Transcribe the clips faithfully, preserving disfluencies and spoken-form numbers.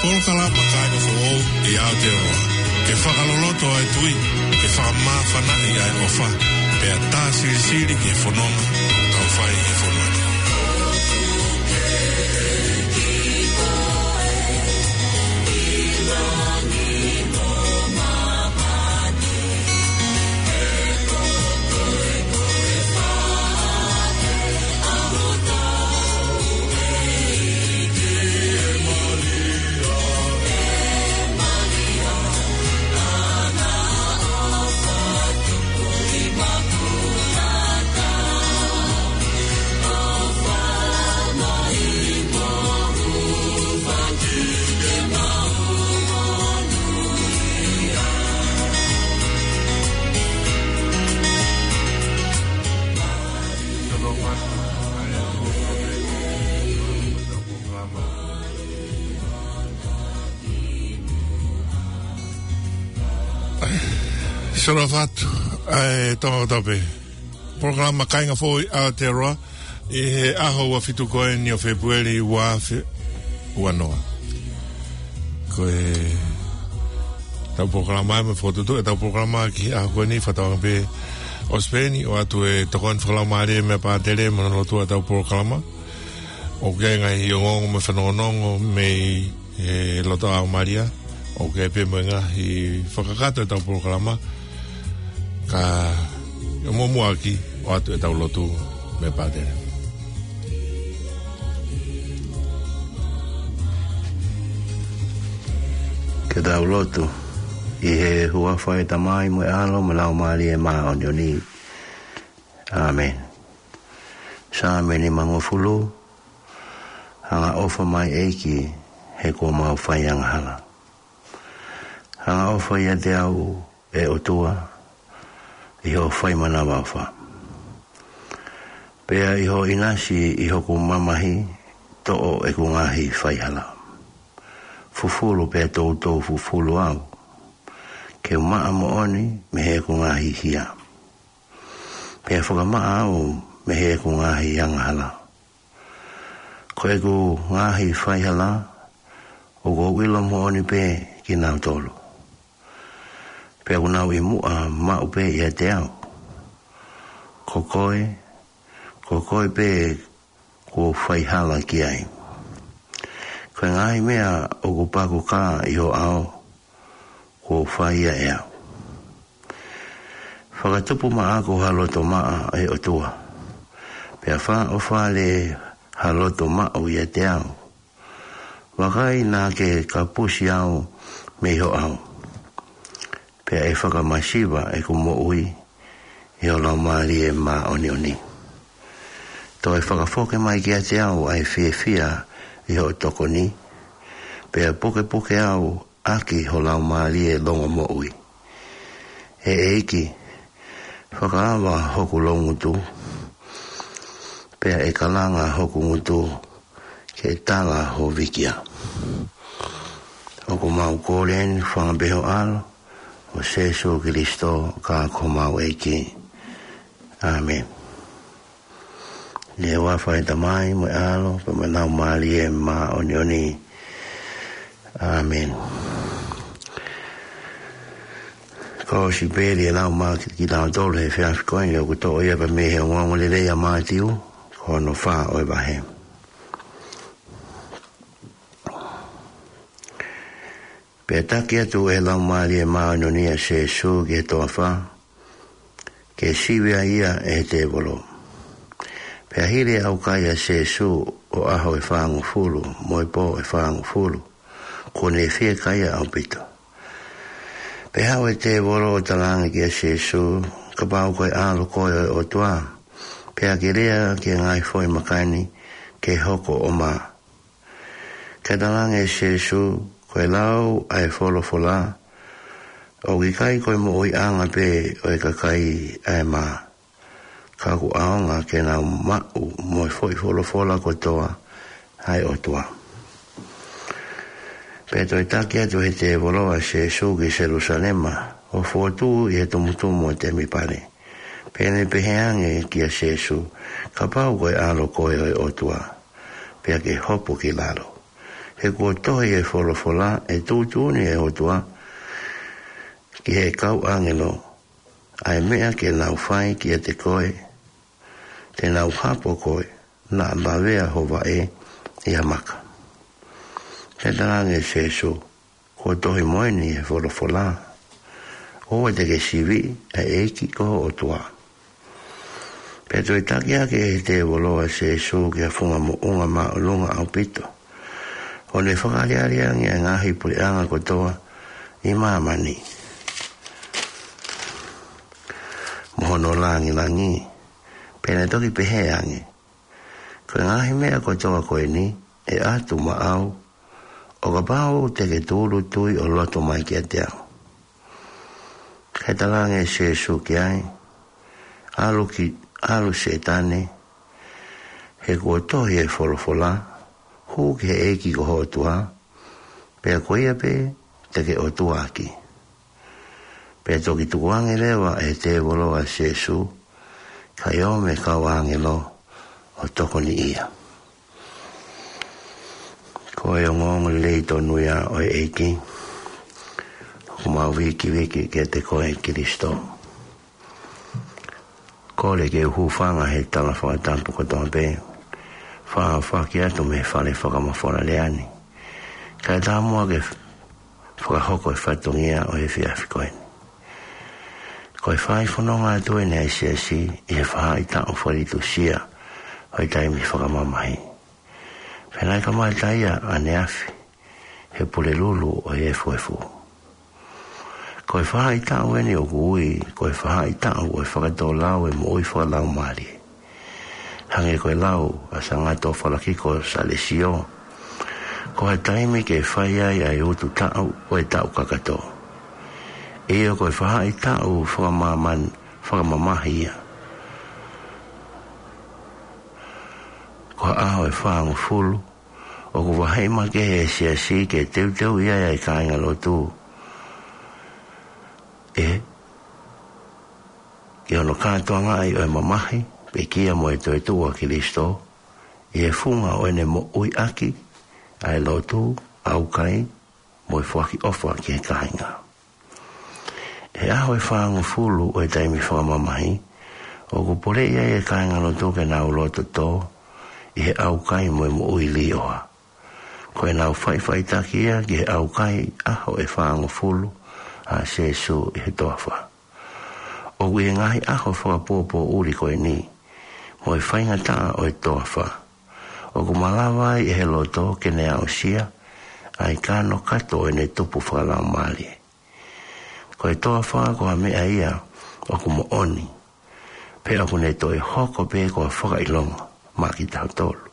Polokalama Kāinga Foʻou ʻi Aotearoa. Ke fakaloloto ʻa e tui, ke fakamāfanaʻi ʻa e ʻofa, pea tā silisili ki he fononga ʻoku tau fai he fonua ni. Solo fatu, ʻa e Tonga kotoa pē. Polokalama Kāinga Foʻou ʻi Aotearoa, ʻi he ʻaho ua fitu ko eni ʻo Fēpueli ua afe ua noa. Ko ʻetau polokalama ē, mo e fokotuʻutuʻu ʻetau polokalama ki he ʻaho ko eni, fakatauange pē ʻosi pē eni ʻoatu e tokoni fakalaumālie mei he pātele mo hono lotua ʻetau polokalama. ʻOku ʻi ai e ngaahi ongoongo mo e fanongonongo mei he loto ʻa Malia, ʻoku ʻi ai pē mo e ngaahi fakakakato ʻetau polokalama, ka ʻi he muʻomuʻa ʻoku ʻoatu ʻetau lotu mei he pātele. Ke tau lotu. ʻI he huafa ʻo e Tamai mo e ʻAlo mo e Laumālie Māʻoniʻoni. ʻĀmeni. Saame nimangofulu. Angaʻofa mai ʻEiki, he kuo mau fai angahala. Angaʻofa ʻiate au, ʻe ʻOtua, ʻi hoʻo fai manavaʻofa. Pea ʻi hoʻo ʻinasi ʻi hoku mamahi, toʻo ʻeku ngaahi faihala. Fufulu pea toutou fufulu au, ke u maʻa moʻoni mei heʻeku ngaahi hia. Pea fakamaʻa au mei heʻeku ngaahi angahala. Ko ʻeku ngaahi faihala, ʻoku ou ʻilo moʻoni pē kinautolu. Pea ʻoku nau ʻi muʻa maʻu pē ʻiate au. Ko koe, ko koe pē kuo u faihala ki ai. Ko e ngaahi meʻa ʻoku pakukā ʻi ho ʻao, kuo u fai ia ʻe au. Fakatupu maʻaku ha loto maʻa, ʻe ʻOtua. Pea fakaʻofa lelei ha loto maʻu ʻiate au. Vakai naʻa ke kapusi au mei ho ʻao. Pea ʻe fakamasiva ʻeku moʻui ʻi ho Laumālie Māʻoniʻoni. Toe fakafoki mai kiate au ʻa e fiefia ʻi hoʻo tokoni. Pea pukepuke au ʻaki ho Laumālie longomoʻui. ʻE ʻEiki, fakaava hoku loungutu, pea ʻe kalanga hoku ngutu ke tala ho vīkia. ʻOku mau kole eni ʻi he huafa pē ho ʻAlo, ko Sēsū Kilisitō, ko homau ʻEiki. ʻĀmeni. ʻI he huafa ʻo e Tamai mo e ʻAlo pea mo e Laumālie Māʻoniʻoni. ʻĀmeni. Ko e sipeli ʻe lau maʻa kitautolu he efiafi ko eni ʻoku toʻo ia pē mei he Ongoongolelei ʻa Mātiu, ko hono fā ʻo e vahe. Pea taki atu ʻe he Laumālie Māʻoniʻoni ʻa Sēsū ki he toafa, ke sivi ai ia ʻe he tēvolo. Pea hili e ʻaukai ʻa Sēsū ʻo e ʻaho ʻe fāngofulu, mo e pō ʻe fāngofulu, kuo ne fiekaia ʻaupito. Pea haʻu e tēvolo ʻo talaange kia Sēsū, kapau ko e ʻAlo koe ʻo e ʻOtua, pea ke lea ki he ngaahi foʻi maka ni ke hoko ʻo mā. Kae talaange ʻe Sēsū, ko e lau ʻa e folofola, ʻoku ʻikai ko e moʻuiʻanga pē ʻo e kakai ʻa e mā, ka ʻoku ʻaonga ke nau maʻu mo e foʻi folofola kotoa ʻa e ʻOtua. Pea toe taki atu ʻe he tēvolo ʻa Sēsū ki Selūsalema, ʻo fokotuʻu ʻi he tumutumu ʻo e temipale. Pea ne pehē ange kia Sēsū, kapau ko e ʻAlo koe ʻo e ʻOtua, pea ke hopo ki lalo. he kuo tohi ʻi he folofola, ʻe tuʻutuʻuni ʻe he ʻOtua ki he kau ʻāngelo ʻa e meʻa ke nau fai kiate koe, te nau hapo koe naʻa lavea ho vaʻe ʻi ha maka. Pea talaange ʻe Sēsū, kuo tohi mo eni ʻi he folofola, ʻoua te ke siviʻi ʻa e ʻEiki ko ho ʻOtua. Pea toe taki hake ʻe he tēvolo ʻa Sēsū ki ha funga moʻunga māʻolunga ʻaupito, ʻo ne fakaʻaliʻali ange ʻa e ngaahi puleʻanga kotoa ʻi māmani mo hono langilangi. Pea ne toki pehē ange, ko e ngaahi meʻa kotoa ko eni ʻe ʻatu maʻau, ʻo kapau te ke tūʻulutui ʻo loto mai kiate au. Kae talaange ʻe Sēsū ki ai, ʻalu ki, ʻalu Sētane, he kuo tohi ʻi he folofola, hū ki he ʻEiki ko ho ʻOtua, pea ko ia pē te ke ʻotuaʻaki. Pea toki tukuange leva ʻe he tēvolo ʻa Sēsū, kae ō mo e kau ʻāngelo ʻo tokoniʻi ia. Ko e ongoongo lelei tonu ia ʻo e ʻEiki, ʻoku mau vikivikiʻi kiate koe Kilisitō. Kole ke u hūfanga he tala fakatapu kotoa pē, faʻa faki atu mei he fale fakamafola lea ni. Kae ʻatā muʻa ke fakahoko e fatongia ʻo e efiafi ko eni. Ko e fai fononga atu eni ʻa e Siasi ʻi he faʻahitaʻu fakalitusia ʻo e taimi fakamamahi. Pea naʻe kamata ia ʻaneafi he Pulelulu ʻo e Efuefu. Ko e faʻahitaʻu eni ʻoku ui ko e faʻahitaʻu ʻo e fakatōlau ʻo e moʻui fakalaumālie. Hangē ko e lau ʻa Sāngato Falakiko Salesiō, ko ha taimi ke fai ai ʻa e utu taʻu ʻo e taʻu kakato. ʻIo, ko e faʻahitaʻu fakamamahi ia. Ko ha ʻaho ʻe fāngofulu ʻoku vaheʻi makehe ʻe he Siasi ke teuteuʻi ai ʻa e kāingalotu ʻi he, ʻi hono kātoangaʻi ʻo e mamahi, pekia mo e toetuʻu ʻa Kilisitō, ʻi he funga ʻo ʻene moʻuiʻaki ʻa e lotu, ʻaukai, mo e foaki ʻofa ki he kāinga. ʻI he ʻaho ʻe fāngofulu ʻo e taimi fakamamahi, ʻoku poleʻi ai ʻe he kāingalotu ke nau loto tō ʻi he ʻaukai mo e moʻui līʻoa. Ko ʻenau faʻifaʻitaki ia ki he ʻaukai ʻaho ʻe fāngofulu ʻa Sēsū ʻi he toafa. ʻOku ʻi he ngaahi ʻaho fakapoʻuli ko eni, mo e faingataʻa ʻo e toafa, ʻoku malava ai ʻe he loto ke ne aʻusia ʻa e kanokato ʻo ʻene tupu fakalaumālie. Ko e toafa ko ha meʻa ia ʻoku moʻoni, pea ʻoku ne toe hoko pē ko ha fakaʻilonga maʻa kitautolu.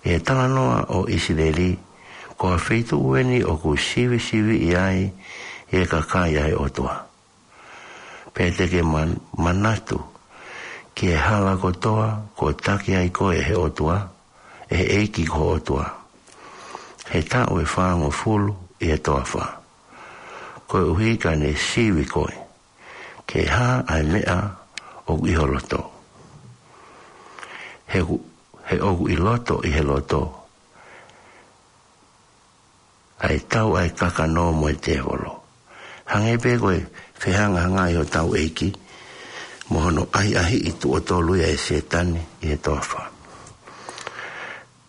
ʻI he talanoa ʻo ʻIsileli, ko ha feituʻu eni ʻoku sivisiviʻi ai ʻe he kakai ʻa e ʻOtua. Pea te ke man-, manatu ki he hala kotoa kuo taki ai koe ʻe he ʻOtua, ʻe he ʻEiki ko ho ʻOtua, he taʻu ʻe fāngofulu ʻi he toafa, koeʻuhi ka ne sivi koe ke hā ʻa e meʻa ʻoku ʻi ho loto. He ʻoku, he ʻoku ʻi loto ʻi he loto ʻa e tau ʻa e kakano mo e tēvolo. Hangē pē ko e fehangahangai hotau ʻEiki mo hono ʻahiʻahiʻi tuʻo tolu ia ʻe Sētane ʻi he toafa.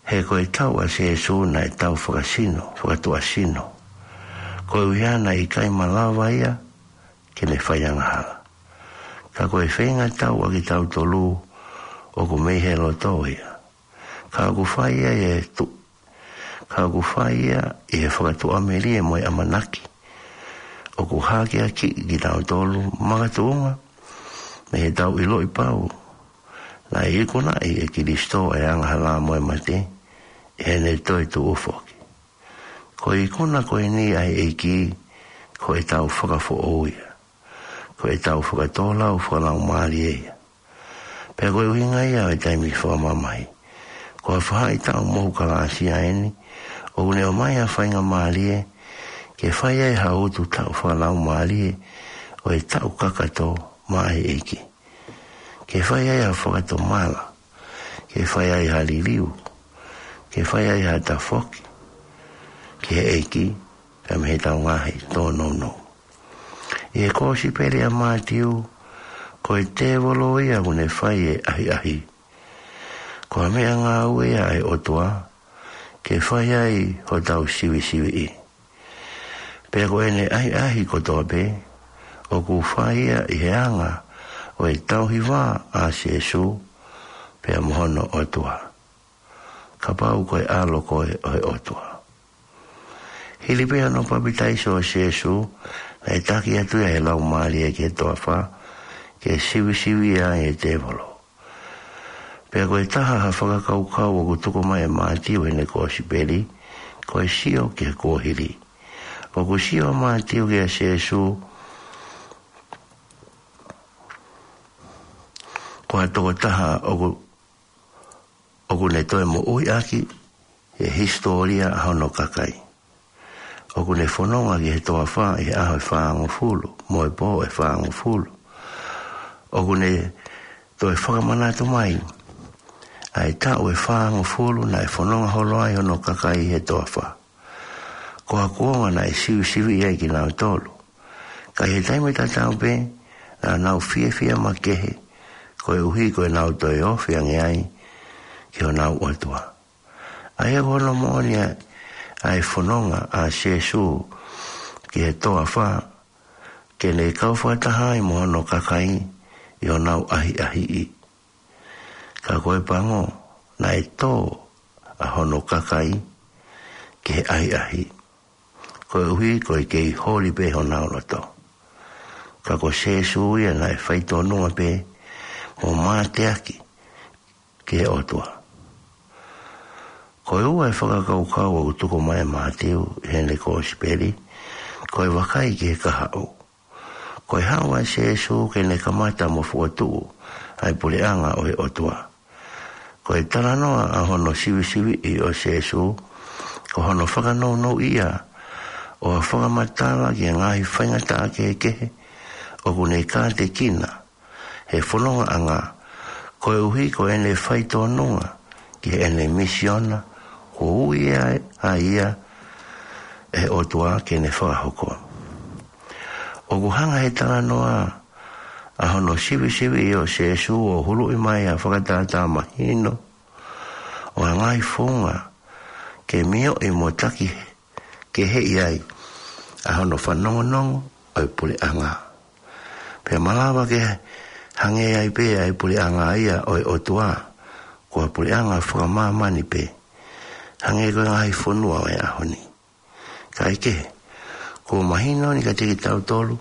He ko e tau ʻa Sēsū naʻe tau fakasino, fakatuʻasino. Koeʻuhi naʻe ʻikai malava ia ke ne fai angahala. Ka ko e feinga tau ʻa kitautolu ʻoku mei he loto ia. Ka ʻoku fai ia ʻi he tu-, ka ʻoku fai ia ʻi he fakatuʻamelie mo e ʻamanaki. ʻOku hakeakiʻi kitautolu makatuʻunga mei heʻetau ʻiloʻi pau naʻe ikunaʻi ʻe Kilisitō ʻa e angahala mo e mate, ʻi heʻene toe tuʻu foki. Ko e ikuna ko eni ʻa e ʻEiki, ko ʻetau fakafoʻou ia. Ko ʻetau fakatōlau fakalaumālie ia. Pea ko e ʻuhinga ia ʻo e taimi fakamamahi. Ko ha faʻahitaʻu mohu kalāsia eni, ʻoku ne ʻomai ha faingamālie ke fai ai ha utu taʻu fakalaumālie ʻo e taʻu kakato maʻa e ʻEiki. Ke fai ai ha fakatomala, ke fai ai ha liliu, ke fai ai ha tafoki, ki he ʻEiki, pea mei heʻetau ngaahi tōnounou. ʻI he kōsipeli ʻa Mātiu, ko e tēvolo ia ʻoku ne fai e ʻahiʻahi. Ko ha meʻangāue ia ʻa e ʻOtua, ke fai ai hotau sivisiviʻi. Pea ko ʻene ʻahiʻahi kotoa pē, ʻoku fai ia ʻi he anga ʻo e tauhi vā ʻa Sēsū, pea mo hono ʻOtua. Kapau ko e ʻAlo koe ʻo e ʻOtua. Hili pē hono papitaiso ʻo Sēsū, naʻe taki atu ia ʻe he Laumālie ki he toafa, ke sivisiviʻi ai e tēvolo. Pea ko e taha ha fakakaukau ʻoku tuku mai ʻe Mātiu heʻene kōsipeli, ko e sio ki he kuohili. ʻOku sio ʻa Mātiu kia Sēsū, ko ha tokotaha ʻoku, ʻoku ne toe moʻui ʻaki ʻi he hisitōlia ʻa hono kakai. ʻOku ne fononga ki he toafa ʻi he ʻaho ʻe fāngofulu, mo e pō ʻe fāngofulu. ʻOku ne toe fakamanatu mai ʻa e taʻu ʻe fāngofulu naʻe fononga holo ai hono kakai ʻi he toafa. Ko ha kuonga naʻe sivisiviʻi ai kinautolu. Ka ʻi he taimi tatau pē, naʻa nau fiefia makehe, koeʻuhi ko ʻenau toe ofi ange ai ki honau ʻOtua. ʻA ia ko hono moʻoni ʻa, ʻa e fononga ʻa Sēsū ki he toafa, ke ne kau fakataha ai mo hono kakai ʻi honau ʻahiʻahiʻi. Ka ko e pango, naʻe tō ʻa hono kakai ki he ʻahiʻahi. Koeʻuhi ko e kei holi pē honau loto. Ka ko Sēsū ia naʻe faitōnunga pē mo mateaki ki he ʻOtua. Ko e ua e fakakaukau ʻoku tuku mai ʻe Mātiu heʻene kōsipeli, ko e vakai ki he kahaʻu. Ko e haʻu ʻa Sēsū ke ne kamata mo fokotuʻu ʻa e puleʻanga ʻo e ʻOtua. Ko e talanoa ʻa hono sivisiviʻi ʻo Sēsū, ko hono fakanounouʻi ia ʻo ha fakamatala ki he ngaahi faingataʻa kehekehe ʻoku ne kātekina he fonongaʻanga, koeʻuhi ko ʻene faitōnunga ki heʻene misiona, kuo ui ai ʻa ia ʻe he ʻOtua ke ne fakahoko. ʻOku hanga he talanoa ʻa hono sivisiviʻi ʻo Sēsū ʻo huluʻi mai ʻa e fakatātā mahino ʻo ha ngaahi founga ke mioʻi mo taki keheʻi ai ʻa hono fanongonongo ʻo e puleʻanga. Pea malava ke hangē ai pē ʻa e puleʻanga ia ʻo e ʻOtua, ko ha puleʻanga fakamāmani pē, hangē ko e ngaahi fonua ʻo e ʻaho ni. Kae kehe, kuo mahino ni kiate kitautolu,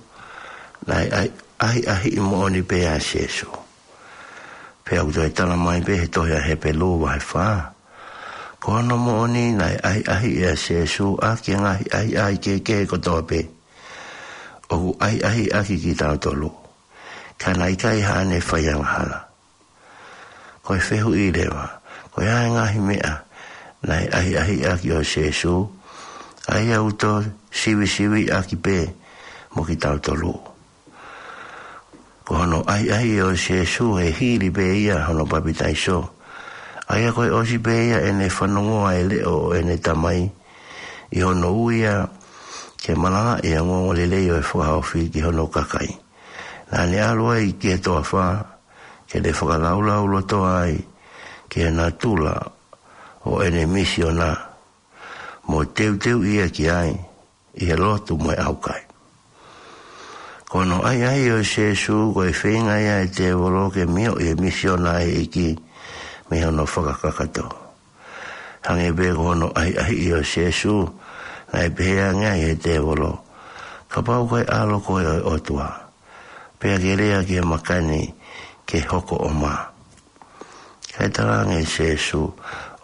naʻe ʻai-, ʻahiʻahiʻi moʻoni pē ʻa Sēsū. Pea ʻoku toe tala mai pē he tohi ʻa Hepelū vahe fā, ko hono moʻoni naʻe ʻahiʻahiʻi ʻa Sēsū ʻaki e ngaahi ʻahiʻahi kehekehe kotoa pē ʻoku ʻahiʻahiʻi ʻaki kitautolu. Ka naʻe ʻikai haʻane faiangahala. Ko e fehuʻi leva, ko e hā e ngaahi meʻa naʻe ʻahiʻahiʻi ʻaki ʻo Sēsū, ʻa ia ʻoku tō sivisiviʻi ʻaki pē mo kitautolu. Ko hono ʻahiʻahiʻi ʻo Sēsū he hili pē ia hono papitaiso. ʻA ia ko e ʻosi pē ia ʻene fanongoa e leʻo ʻo ʻene Tamai, ʻi hono ui ia ke malangaʻi ʻa e ongoongolelei ʻo e fakahaofi ki hono kakai. Naʻa ne ʻalu ai ki he toafa, ke ne fakalaulauloto ai ki he natula ʻo ʻene misiona, mo teuteuʻi ia ki ai ʻi he lotu mo e ʻaukai. Ko hono ʻahiʻahiʻi ʻo Sēsū, ko e feinga ia ʻa e tēvolo ke mioʻi e misiona ʻa e ʻEiki mei hono fakakakato. Hangē pē ko hono ʻahiʻahiʻi ʻo Sēsū, naʻe pehē ange ai ʻe he tēvolo, kapau ko e ʻAlo koe ʻo e ʻOtua, pea ke lea ki he maka ni ke hoko ʻo mā. Kae talaange ʻe Sēsū,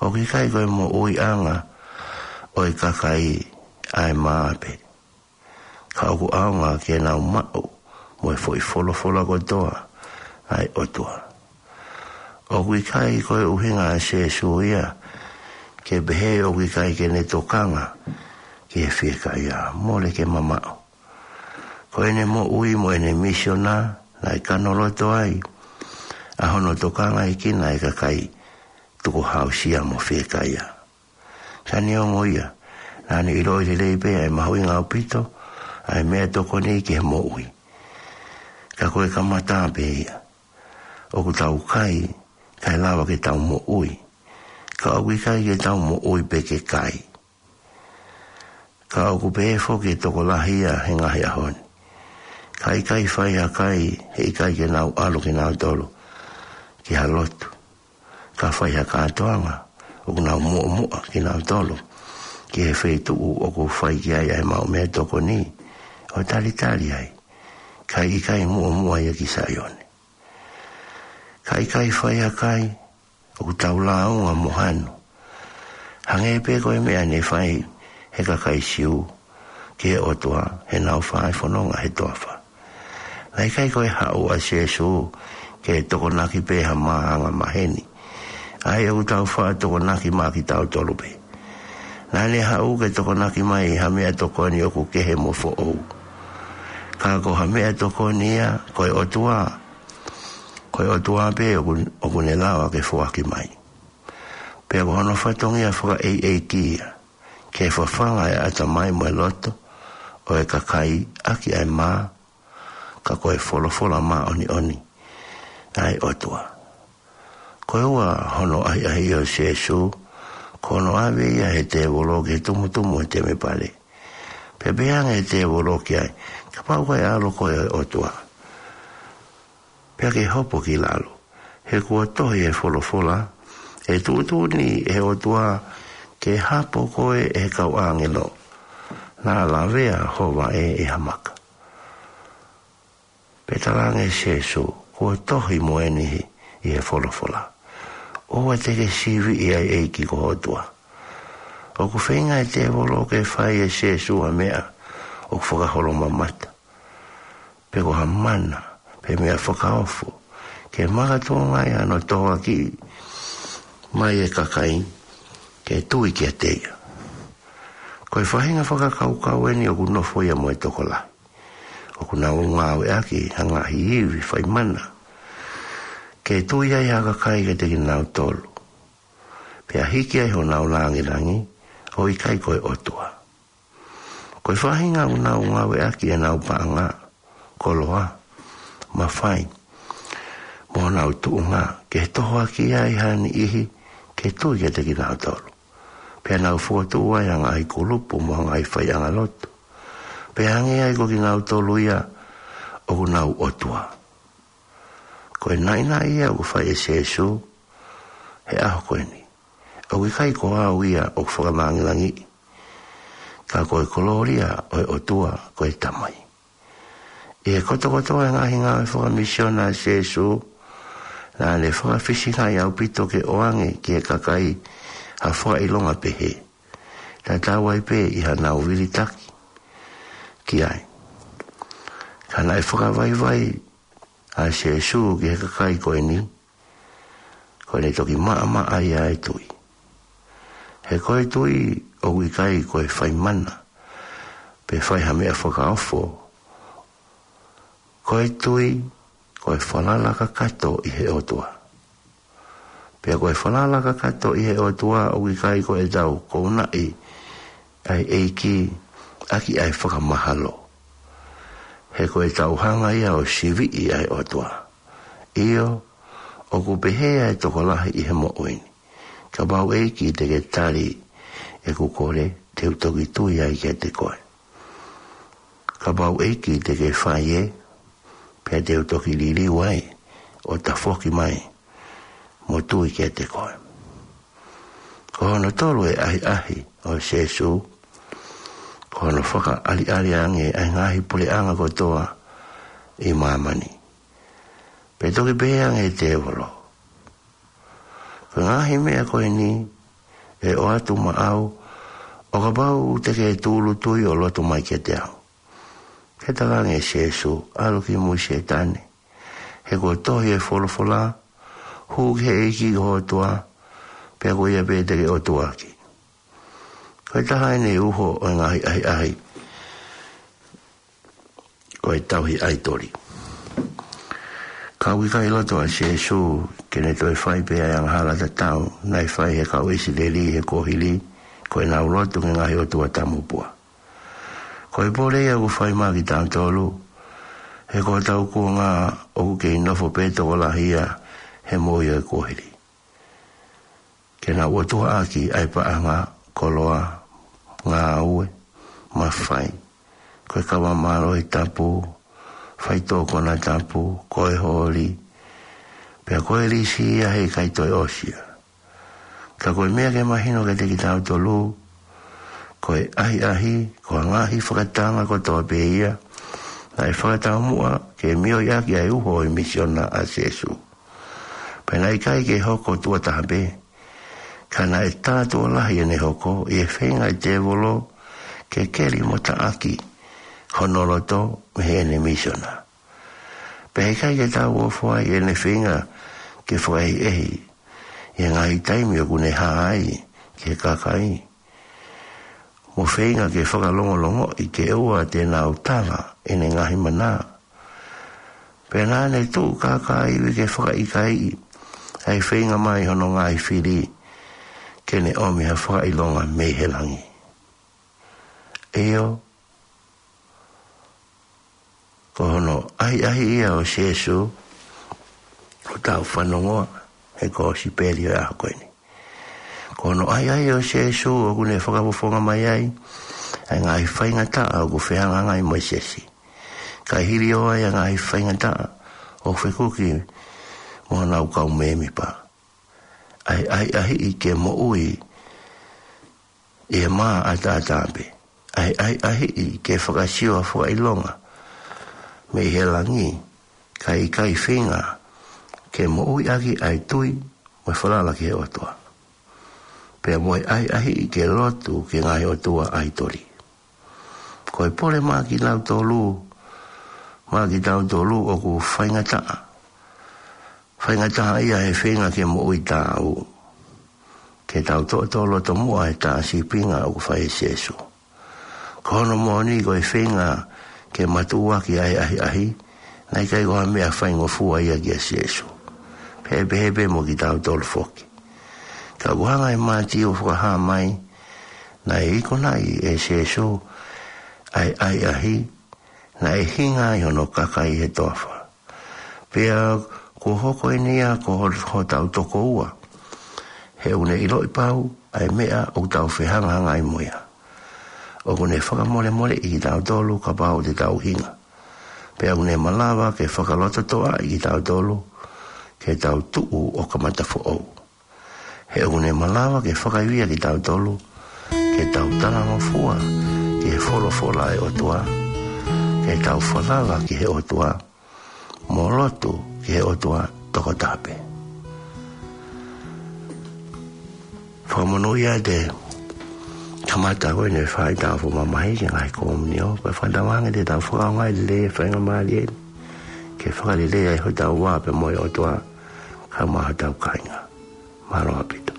ʻoku ʻikai ko e moʻuiʻanga ʻo e kakai ʻa e mā pē, ka ʻoku ʻaonga ke nau maʻu mo e foʻi folofola kotoa ʻa e ʻOtua. ʻOku ʻikai ko e ʻuhinga ʻa Sēsū ia ke pehē ʻoku ʻikai ke ne tokanga ki he fiekaia, mole ke mamaʻo. Ko ʻene moʻui mo ʻene misiona naʻe kano loto ai ʻa hono tokangaʻi kinautolu ʻe he kakai tukuhāusia mo fiekaia. Ka neongo ia, Naʻá ne ʻiloʻi lelei pē ʻa e mahuʻinga ʻaupito ʻa e meʻatokoni ki he moʻui. Ka ko e kamata pē ia. ʻOku tau kai, kae lava ke tau moʻui. Ka ʻoku ʻikai ke tau moʻui pē ke kai. Ka ʻoku pehē foki e tokolahi ia he ngaahi ʻaho ni. Ka ʻikai fai ha kai, heʻikai ke nau ʻalu kinautolu ki ha lotu. Ka fai ha kātoanga, ʻoku nau muʻomuʻa kinautolu ki he feituʻu ʻoku fai ki ai ʻa e maʻu meʻatokoni, ʻo talitali ai. Ka ʻikai muʻomuʻa ia ki Saione. Ka ʻikai fai ha kai, ʻoku tau lāunga mo hanu. Hangē pē ko e meʻa ne fai he kakai Siu ki he ʻOtua heʻenau fai fononga he toafa. Naʻe ʻikai ko e haʻu ʻa Sīsū ke tokonaki pē ha māhanga maheni. ʻA ia ʻoku tau faʻa tokonaki maʻa kitautolu pē. Naʻá ne haʻu ke tokonaki mai ha meʻatokoni ʻoku kehe mo foʻou. Ka ko ha meʻatokoni ia, ko e ʻOtua. Ko e ʻOtua pē ʻoku, ʻoku ne lava ke foaki mai. Pea ko hono fatongia fakaʻeiʻeiki ia, ke fafanga e ʻatamai mo e loto ʻo e kakai ʻaki ʻa e mā, ka ko e folofola māʻoniʻoni ʻa e ʻOtua. Ko e ua hono ʻahiʻahi ʻo Sīsū, ko hono ʻave ia he tēvolo ki he tumutumu he temipale. Pea pehē ange he tēvolo ki ai, kapau ko e ʻAlo koe ʻo e ʻOtua, pea ke hopo ki lalo. He kuo tohi he folofola, ʻe tuʻutuʻuni ʻe he ʻOtua ke hapo koe ʻe he kau ʻāngelo. Naʻa lavea ho vaʻe ʻe ha maka. Pea talaange ʻe Sīsū, kuo tohi mo eni ʻi he folofola. ʻOua te ke siviʻi ʻa e ʻEiki ko ho ʻOtua. ʻOku feinga e tēvolo ke fai ʻe Sīsū ha meʻa ʻoku fakaholomamata. Pe ko ha mana, pe meʻa fakaofo. Ke makatuʻunga ai hano tohoakiʻi mai e kakai, ke tui kiate ia. Ko e faʻahinga fakakaukau eni ʻoku nofo ia mo e tokolahi. ʻOku nau ngāueʻaki ha ngaahi ivi faimana. Ke tui ai ha kakai kiate kinautolu. Pea hiki ai honau langilangi, ʻo ʻikai ko e ʻOtua. Ko e faʻahinga ʻoku nau ngāueʻaki ʻenau paʻanga, koloa, mafai, mo honau tuʻunga, ke tohoakiʻi ai ha niʻihi, ke tui kiate kinautolu. Pea nau fokotuʻu ai ha ngaahi kulupu mo ha ngaahi faiʻanga lotu. Pea hangē ai ko kinautolu ia ʻoku nau ʻOtua. Ko e naʻinaʻi ia ʻoku fai ʻe Sīsū he ʻaho ko eni. ʻOku ʻikai ko au ia ʻoku fakalangilangiʻi. Ka ko e kolōlia ʻo e ʻOtua ko e Tamai. ʻI he kotokotoa e ngaahi ngāue fakamisiona ʻa Sīsū, naʻá ne fakafisingaʻi ʻaupito ke ʻoange ki he kakai ha fakaʻilonga pehē. Tatau ai pē ʻi haʻanau vilitaki ki ai. Ka naʻe fakavaivai ʻa Sīsū ki he kakai ko eni, ko ʻene toki maʻamaʻa ia e tui. He ko e tui ʻoku ʻikai ko e faimana, pe fai ha meʻa fakaofo. Ko e tui, ko e falala kakato ʻi he ʻOtua. Pea ko e falala kakato ʻi he ʻOtua ʻoku ʻikai ko ʻetau kounaʻi ʻa e ʻEiki ʻaki ʻa e fakamahalo. He ko ʻetau hanga ia ʻo siviʻi ʻa e ʻOtua. ʻIo, ʻoku pehē ʻa e tokolahi ʻi he moʻui ni. Kapau ʻEiki te ke tali ʻeku kole, te u toki tui ai kiate koe. Kapau ʻEiki te ke fai ē, pea te u toki liliu ai, ʻo tafoki mai, mo tui kiate koe. Ko hono tolu e ʻahiʻahi ʻo Sīsū, ko hono fakaʻaliʻali ange ʻa e ngaahi puleʻanga kotoa ʻi māmani. Pea toki pehē ange ʻe tēvolo. Ko e ngaahi meʻa ko eni, ʻe ʻoatu maʻau, ʻo kapau te ke tūʻulutui ʻo lotu mai kiate au. Pea talaange ʻe Sīsū, ʻalu ki mui Sētane. He kuo tohi he folofola, hū ki he ʻEiki ko ho ʻOtua, pea ko ia pē te ke ʻotuaʻaki. Ko e taha eni e uho ʻo e ngaahi ʻahiʻahi. Ko e tauhi ʻaitoli. Ka ʻoku ʻikai loto ʻa Sīsū, ke ne toe fai pē ʻa e angahala tatau, naʻe fai he kau ʻIsileli he kuohili, ko ʻenau lotu ki he ngaahi ʻotua tamupua. Ko e pole ia ʻoku fai maʻa kitautolu, he ko hotau kuonga ʻoku kei nofo pē tokolahi ia he moʻui ʻo e kuohili. Ke nau ʻotuaʻaki ʻa e paʻanga, koloa, ngāue, mafai. Ko e kava mālohi tapu, faitoʻo konatapu, ko e holi. Pea ko e lisi ia heʻikai toe ʻosi ia. Ka ko e meʻa ke mahino kiate kitautolu, ko e ʻahiʻahi, ko e ngaahi fakatanga kotoa pē ia, naʻe fakataumuʻa ke mioʻi ʻaki ʻa e uho ʻo e misiona ʻa Sīsū. Pea naʻe ʻikai ke hoko tuʻo taha pē, ka naʻe tā tuʻo lahi ʻene hoko, ʻi he feinga ʻa e tēvolo ke keli mo taʻaki hono loto mei heʻene misiona. Pea heʻikai ke tau ofo ai ʻene feinga ke fakaʻehiʻehi ʻi he ngaahi taimi ʻoku ne hā ai ki he kakai, mo feinga ke fakalongolongoʻi ke ʻoua te nau tala ʻene ngaahi mana. Pea naʻa ne tuʻu kākāivi ke fakaʻikaiʻi ʻa e feinga mai hono ngaahi fili ke ne ʻomi ha fakaʻilonga mei he langi. ʻIo, ko hono ʻahiʻahi ia ʻo Sīsū ʻoku tau fanongoa he kosipeli ʻo e ʻaho ko eni. Ko hono ʻahiʻahi ʻo Sīsū ʻoku ne fakafofonga mai ai ʻa e ngaahi faingataʻa ʻoku fehangahangai mo Sēsū. Kae hili ʻo ʻai ʻa e ngaahi faingataʻa ʻoku fekuki mo honau kau mēmipa. ʻA e ʻahiʻahiʻi ke moʻui ʻi he mā ʻataʻatā pē. ʻA e ʻahiʻahiʻi ke fakasio ha fakaʻilonga mei he langi, kae ʻikai feinga ke moʻui ʻaki ʻa e tui mo e falala ki he ʻOtua. Pea mo e ʻahiʻahiʻi ke lotu ki he ngaahi ʻotua ʻaitoli. Ko e pole maʻa kitautolu, maʻa kitautolu ʻoku faingataʻa. Faingataʻa ia he feinga ke moʻui taau. Ke tau toʻotolo tomuʻa he tā sīpinga ʻoku fai ʻe Sīsū. Ko hono moʻoni ko e feinga ke matuʻuaki ʻa e ʻahiʻahi, naʻe ʻikai ko ha meʻa faingofua ia kia Sīsū. Pea pehē pē mo kitautolu foki. Ka ʻoku hanga ʻe Mātiu ʻo fakahā mai, naʻe ikunaʻi ʻe Sīsū ʻa e ʻahiʻahi, naʻe hinga ai hono kakai he toafa. Pea kuo hoko eni ia ko ho-, hotau tokoua. He ʻoku ne ʻiloʻi pau ʻa e meʻa ʻoku tau fehangahangai mo ia. ʻOku ne fakamolemoleʻi kitautolu kapau te tau hinga. Pea ʻoku ne malava ke fakalototoʻaʻi kitautolu ke tau tuʻu ʻo kamata foʻou. He ʻoku ne malava ke fakaivia kitautolu ke tau talangofua ki he folofola ʻa e ʻOtua, ke tau falala ki he ʻOtua, mo lotu ki he ʻOtua tokotaha pē. Fakamonūʻia ʻa e kamata ko eni ʻa e faʻahitaʻu foʻi mamahi ki he ngaahi komiunio, pea fakatauange te tau fakaʻaongaʻi lelei e faingamālie ni ke fakalelei ai hotau vā pea mo e ʻOtua, kae ʻumaʻā hotau kāinga. Mālō ʻaupito.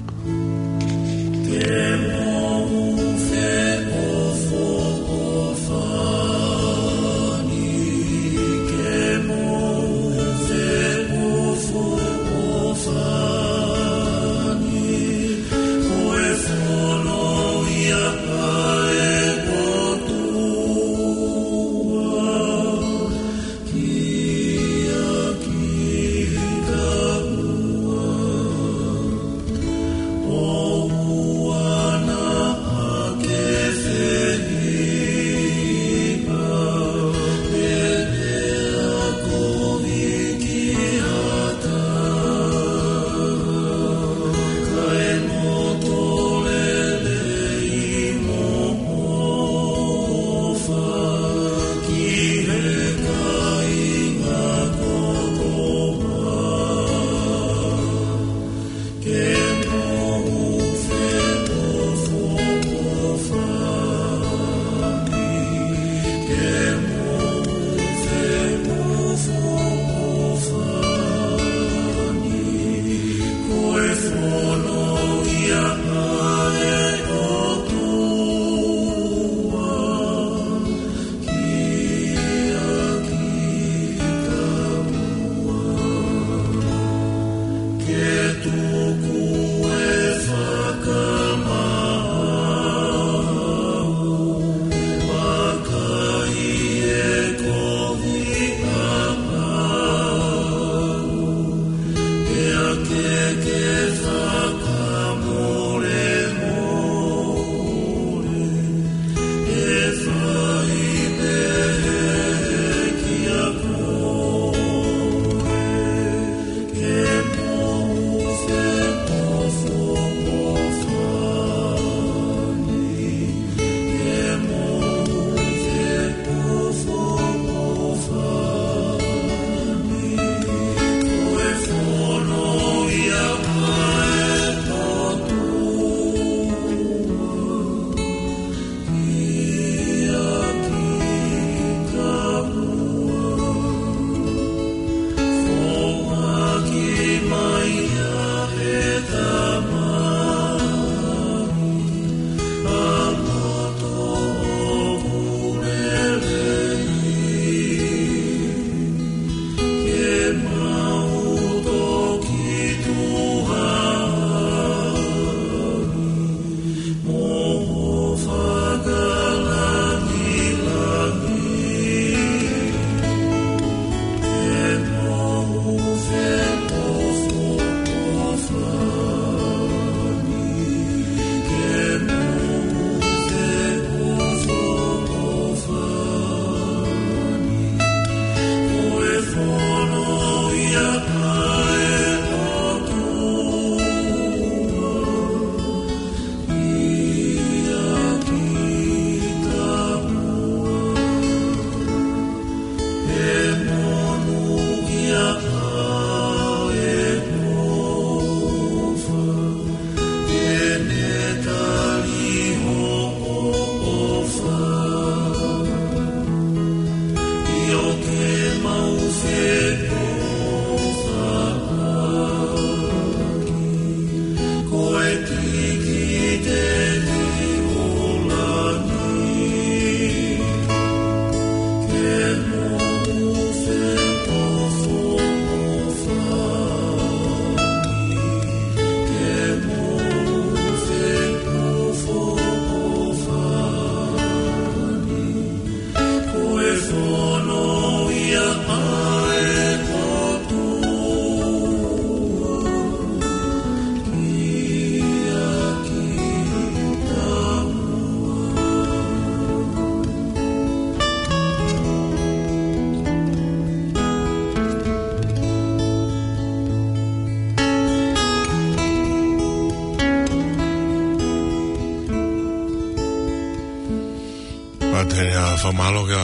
Pātele, ʻa, fakamālō kia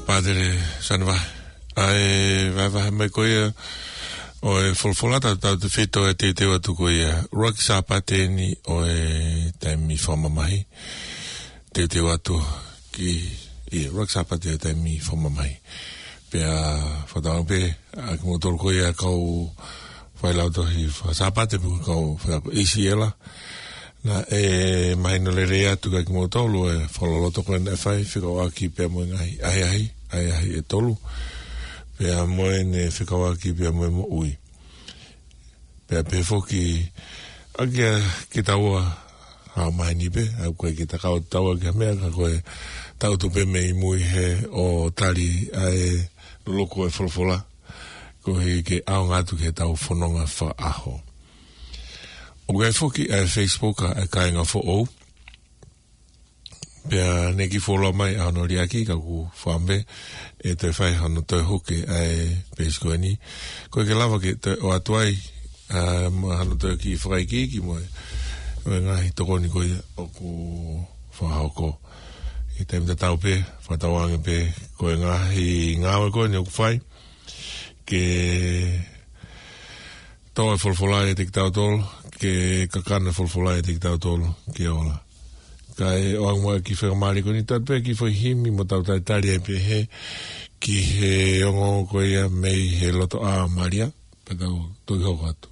Pātele Saneva. ʻA e vahevahe mai ko ia ʻo e folofola, tautautefito e teuteu atu ko ia. ʻUluaki Sāpate eni ʻo e taimi fakamamahi. Teuteu atu ki, ʻi he ʻuluaki Sāpate ʻo e taimi fakamamahi. Pea fakatauange pē ʻa kimoutolu ko ia kau failautohi faka-Sāpate pe ko e kau faiako ʻi Siela. Naʻe mahino lelei atu kia kimoutolu e fakaloloto ko ē naʻe fai fekauʻaki pea mo e ngaahi ʻahiʻahi, ʻahiʻahi ʻe tolu. Pea mo ʻene fekauʻaki pea mo e moʻui. Pea pehē foki ʻa kia kitaua ʻa maheni pē, ʻa ko e kita kau taua ki ha meʻa ka ko e tau tupe mei mui he ʻo tali ʻa e loloku e folofola. Koeʻuhi ke ʻaonga atu ki heʻetau fononga fakaʻaho. ʻOku ʻi ai foki ʻa e Facebook ʻa e kāinga foʻou. Pea ne kiʻi fuoloa mai ʻa hono liʻaki ka ʻoku fakaʻamu pē ʻe toe fai hano toe huke ʻa e peesi ko eni. Ko e ke lava ke toe ʻoatu ai, ʻa, mo hano toe kiʻi fakaikiiki mo e, mo e ngaahi tokoni ko ia ʻoku fakahoko. ʻI he taimi tatau pē, fakatauange pē, ko e ngaahi ngāue ko eni ʻoku fai. Ke tō e folofola ʻiate kitautolu, ke kakano e folofola ʻiate kitautolu, ke ola. Kae ʻoange muʻa e kiʻi faingamālie ko eni ʻo ʻoatu pē kiʻi foʻi himi mo tau talitali ai pē he, ki he ongoongo ko ia mei he Lotoʻā ʻo Malia, pea tau toki hoko atu.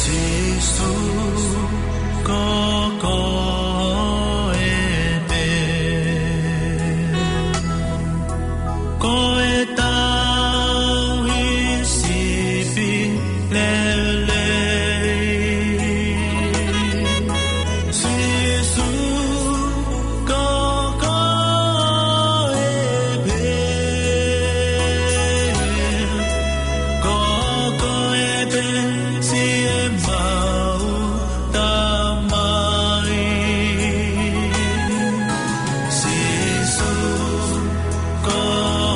Sīsū, ko koe pē. Ko e tauhi sipi lelei. Sīsū, ko koe pē. Ko koe pē siʻemau Tamai. Sīsū, ko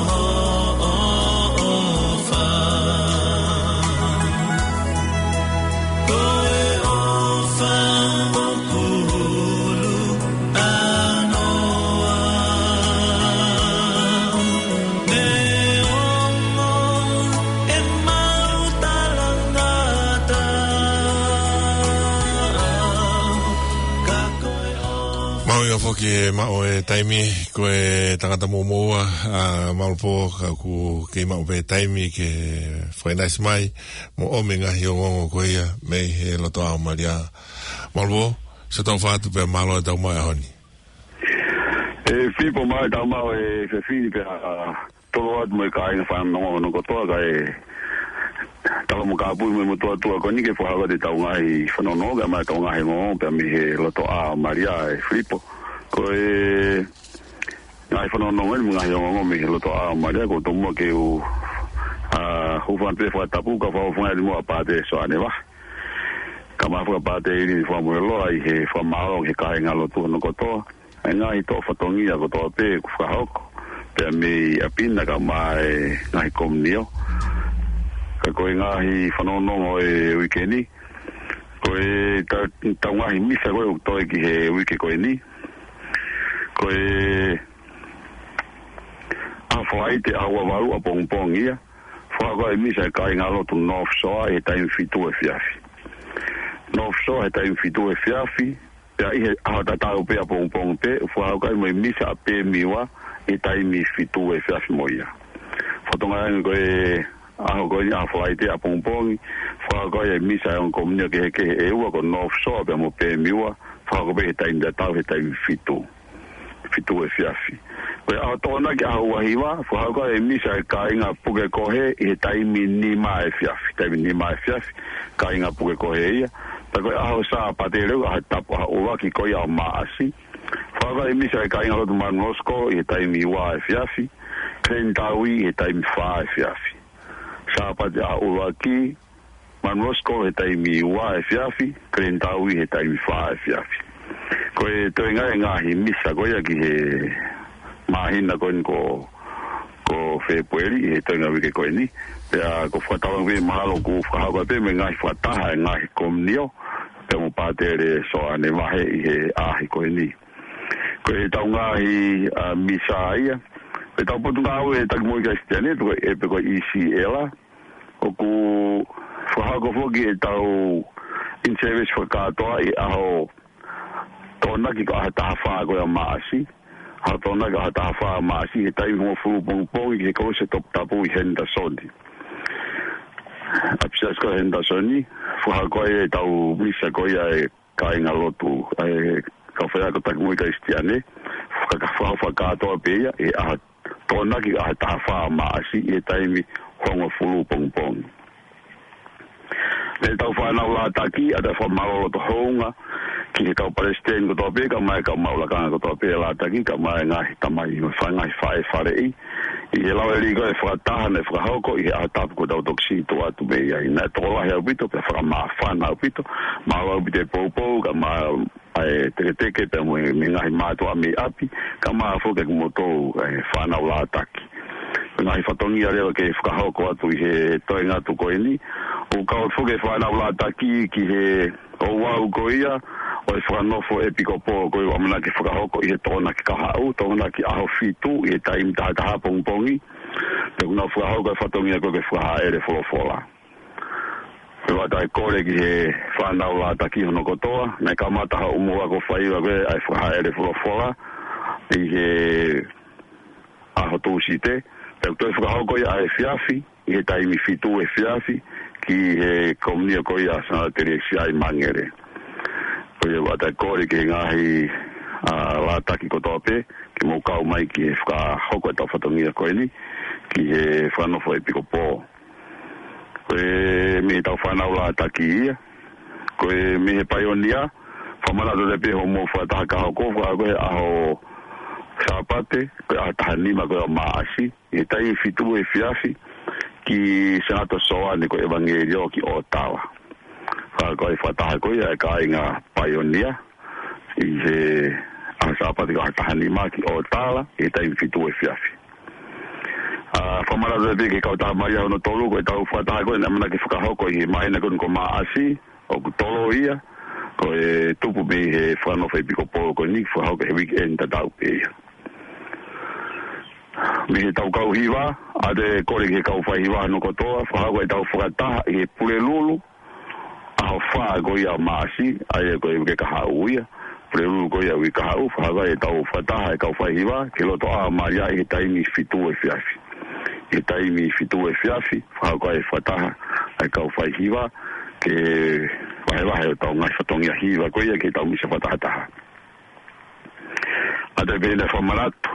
hoʻo ʻofa. Ko e ʻofa ʻoku hulu ʻanoa. Neongo ʻemau talangataʻa, ka ko e ʻofa. Mahuʻinga foki e maʻu e taimi, ko e tangata mōmoa, ʻa, Malupō, ka ʻoku kei maʻu pē taimi ke fakaʻinasi mai, mo ʻomi e ngaahi ongoongo ko ia, mei he Lotoʻā ʻo Malia. Malupō, sio tau fatu pea mālō e tau mai ʻaho ni. ʻE Filipo, mālō e tau mai ʻa e efiafi ni pea, ʻa, tolo atu mo e kāinga fanongo kotoa kae tala mo kāpui mo e motuʻa tuʻa ko eni ke fakahoko atu e tau ngaahi fanongo kae ʻomai e tau ngaahi ongoongo pea mei he Lotoʻā ʻo Malia ʻe Filipo. Ko e Ngaahi fanongonongo ni, ngaahi ongoongo mei he lotoʻā ʻo Malia, ko e tomuʻa ke u, ʻa, hūfanga pē fakatapu, ka fakaʻofongaʻi mo ʻa Pātele Soane Vahe. Kae ʻumaʻā Pātele ʻIlini Fakamoʻeloa ʻi he fakamālō ki he kāingalotu hono kotoa. ʻA e ngaahi toʻo fatongia kotoa pē kuo fakahoko. Pea mei ʻapi na kae ʻumaʻā e ngaahi komiunitī. Ka ko e ngaahi fanongonongo ʻo e uike ni. Ko e ta-, tau ngaahi misa ko ē ʻoku toe ki he uike ko eni. Ko e ʻaho Falaite ʻaho ua valu ʻapongipongi ia. Fakahoko ai e misa ʻa e kāingalotu North Shore ʻi he taimi fitu efiafi. North Shore he taimi fitu efiafi. Pea ʻi he ʻaho tatau pē ʻapongipongi pē, fakahoko ai mo e misa ʻa Pēmiua ʻi he taimi fitu efiafi mo ia. Fatongia ange ko e ʻaho ko eni ʻaho Falaite ʻapongipongi, fakahoko ai e misa ʻa e ongo komiunitī kehekehe ʻe ua ko North Shore pea mo Pēmiua, fakahoko pē he taimi tatau he taimi fitu. Fitu efiafi. Ko e ʻaho Tokonaki ʻaho ua hiva, fakahoko ai e misa ʻa e kāinga Pukekohe ʻi he taimi nima efiafi. Taimi nima efiafi, kāinga Pukekohe ia. Pea ko e ʻaho Sāpate leva, ʻaho tapu ʻaho ʻuluaki ko ia ʻo Maʻasi. Fakahoko ai e misa ʻa e kāingalotu Manuosko ʻi he taimi ua efiafi. Kileni Taui ʻi he taimi fā efiafi. Sāpate ʻaho ʻuluaki, Manuosko he taimi ua efiafi, Kileni Taui he taimi fā efiafi. Ko e toenga e ngaahi misa ko ia ki he māhina ko eni ko, ko Fēpueli he toenga uike ko eni. Pea ko e fakatapu ange pē mahalo kuo fakahoko pē mo e ngaahi fakataha e ngaahi komiunitī, pea mo Pātele Soane Vahe ʻi he ʻaho ko eni. Ko e tau ngaahi, ʻa, misa ia. Ko e tau potungāue ʻa e Taki Moʻui Kalisitiane, pe ko e, pe ko e E C L. ʻOku fakahoko foki e tau in-service fakakātoa ʻi he ʻaho Tokonaki ko e ʻaho taha fā ko ia ʻo Maʻasi. ʻAho Tokonaki ʻaho taha fā ʻo Maʻasi, he taimi hongofulu pongipongi ki he Kolose Toputapu ʻi Henderson. ʻApisiasi ko Henderson, fakahoko ai e tau misa ko ia e kāingalotu, ʻa e kau faiako Taki Moʻui Kalisitiane, faka-, faka-, fakakātoa pē ia, ʻi he ʻaho Tokonaki ʻaho taha fā ʻo Maʻasi, ʻi he taimi hongofulu pongipongi. Mei he tau fānau Lātaki, ʻoatu e fakamālō loto houngaʻia ki he kau palesiteni kotoa pē, kae ʻumaʻā e kau maʻu lakanga kotoa pē Lātaki, kae ʻumaʻā e ngaahi tamai mo e ngaahi faʻē faleʻi. ʻI he lau ʻe lī ko e fakataha naʻe fakahoko ʻi he ʻaho tapu kuo tau toki sio atu mei ai. Naʻe tokolahi ʻaupito, pea fakamāfana ʻaupito, mālō ʻaupito e poupou, kae ʻumaʻā ʻa e teketeke pea mo e, mo e ngaahi mātuʻa mei ʻapi, kae ʻumaʻā foki kimoutolu, ʻa e fānau Lātaki. Ngaahi fatongia leva ke fakahoko atu ʻi he toenga atu ko eni. ʻOku kau foki e fānau Lātaki ki he ouau ko ia ʻo e fakanofo ʻepikopō ko ia ʻoku ʻamanaki fakahoko ʻi he Tokonaki kahaʻu, Tokonaki ʻaho fitu ʻi he taimi taha taha pongipongi. Pea ʻoku nau fakahoko e fatongia ko ē ke fakahāʻele folofola. Pea ʻoatu e kole ki he fānau Lātaki hono kotoa, naʻe kamata hoʻomou ako faiva ko ē ʻa e fakahāʻele folofola ʻi he ʻaho Tūsite, pea ʻoku toe fakahoko ia ʻaefiafi, ʻi he taimi fitu efiafi, ki he komiunitī ko ia ʻa Sangata Telesia ʻi Mangere. Ko ia ʻoatu e kole ki he ngaahi, ʻa, Lātaki kotoa pē, ke mou kau mai ki he fakahoko e tau fatongia ko eni, ki he fakanofo ʻepikopō. Ko e mei he tau fānau Lātaki ia. Ko e mei he paionia, fakamanatu atu pē hoʻomou fakataha ka hoko, fakahoko he ʻaho Sāpate, ko e ʻaho taha nima ko ia ʻo Maʻasi, ʻi he taimi fitu efiafi, ki Sangata Soane ko e ʻEvangeliō ki ʻŌtala. Fakahoko e fakataha ko ia ʻa e kāinga paionia, ʻi he ʻaho Sāpate ko e ʻaho taha nima ki ʻŌtala, ʻi he taimi fitu efiafi. ʻA, fakamanatu pē ki he kautaha Malia hono tolu, ko e tau fakataha ko ē naʻe ʻamanaki fakahoko ʻi he māhina ko eni ko Maʻasi, ʻoku toloi ia, ko e tupu mei he fakanofo ʻepikopō ko eni, fakahoko he weekend tatau pē ia. Mei he tau kau hiva, ʻoatu e kole ki he kau faihiva hono kotoa, fakahoko e tau fakataha ʻi he Pulelulu, ʻaho fā ko ia ʻo Maʻasi, ʻa ia ko e uike kahaʻu ia. Pulelulu ko ia uike kahaʻu, fakahoko e tau fakataha e kau faihiva, ki he lotoʻā ʻo Malia ʻi he taimi fitu efiafi. ʻI he taimi fitu efiafi, fakahoko e fakataha e kau faihiva, ke vahevahe ʻo tau ngaahi fatongia hiva ko ia ki he tau misa fakatahataha. ʻOatu pē ʻeni e fakamanatu,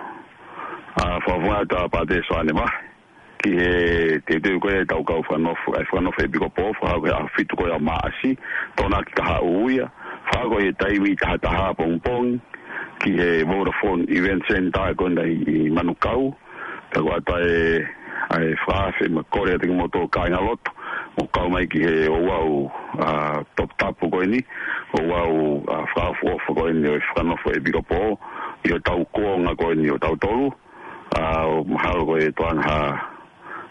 ʻa, fakamanatu ʻa Pātele Soane Vahe, ki he teuteu ko ē e tau kau fakanofo, ʻa e fakanofo ʻepikopō, fakahoko he ʻaho fitu ko ia ʻo Maʻasi, Tokonaki kahaʻu ia, fakahoko he taimi taha taha pongipongi, ki he Vodafone Event Center ko ena ʻi Manukau. Pea ko ʻata e, ʻa e fakaafe mo e kole atu ki moutolu kāingalotu, mou kau mai ki he ouau, ʻa, toputapu ko eni, ouau, ʻa, fakaʻofoʻofa ko eni ʻo e fakanofo ʻEpikopō, ʻi hotau kuonga ko eni ʻo tautolu, ʻa, ʻo mahalo ko e toanga ha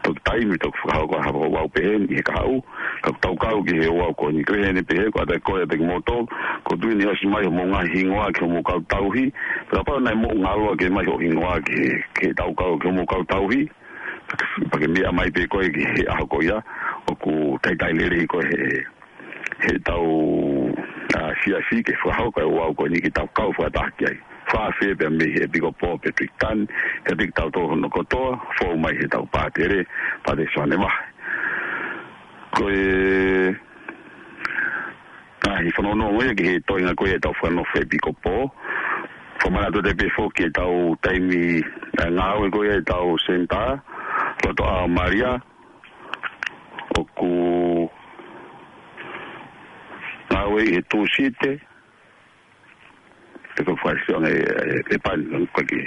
toki taimi, toki fakahoko ha ouau pehē ni he kahaʻu, ka ʻoku tau kau ki he ouau ko eni. Ko e heni pehē, ko ʻata e kole atu ki moutolu, ko e tuʻu ni ʻosi mai homou ngaahi hingoa ki homou kau tauhi, pea kapau naʻe moʻungaloa ke mai hoʻo hingoa ki he, ki heʻetau kau ki homou kau tauhi, pea ke, pea ke meʻa mai pē koe ki he ʻaho ko ia, ʻoku taitai lelei koe he heʻetau, ʻa, siasi ke fakahoko e ouau ko eni ke tau kau fakataha ki ai. Fakaafe pea mei he ʻEpikopō Petiliki Tani, kiate kitautolu hono kotoa, fou mai heʻetau pātele, Pātele Soane Vahe. Ko e, ʻa, ʻi he fanongonongo ia ki he toenga ko ia ʻetau fakanofo ʻEpikopō. Fakamanatu atu pē foki ʻetau taimi, ʻa, ngāue ko ia ʻetau senitā, Loto ʻAo Malia, ʻoku ngāue ʻi he Tūsite, ʻe ko fai sione e, e, e pani, ko ki.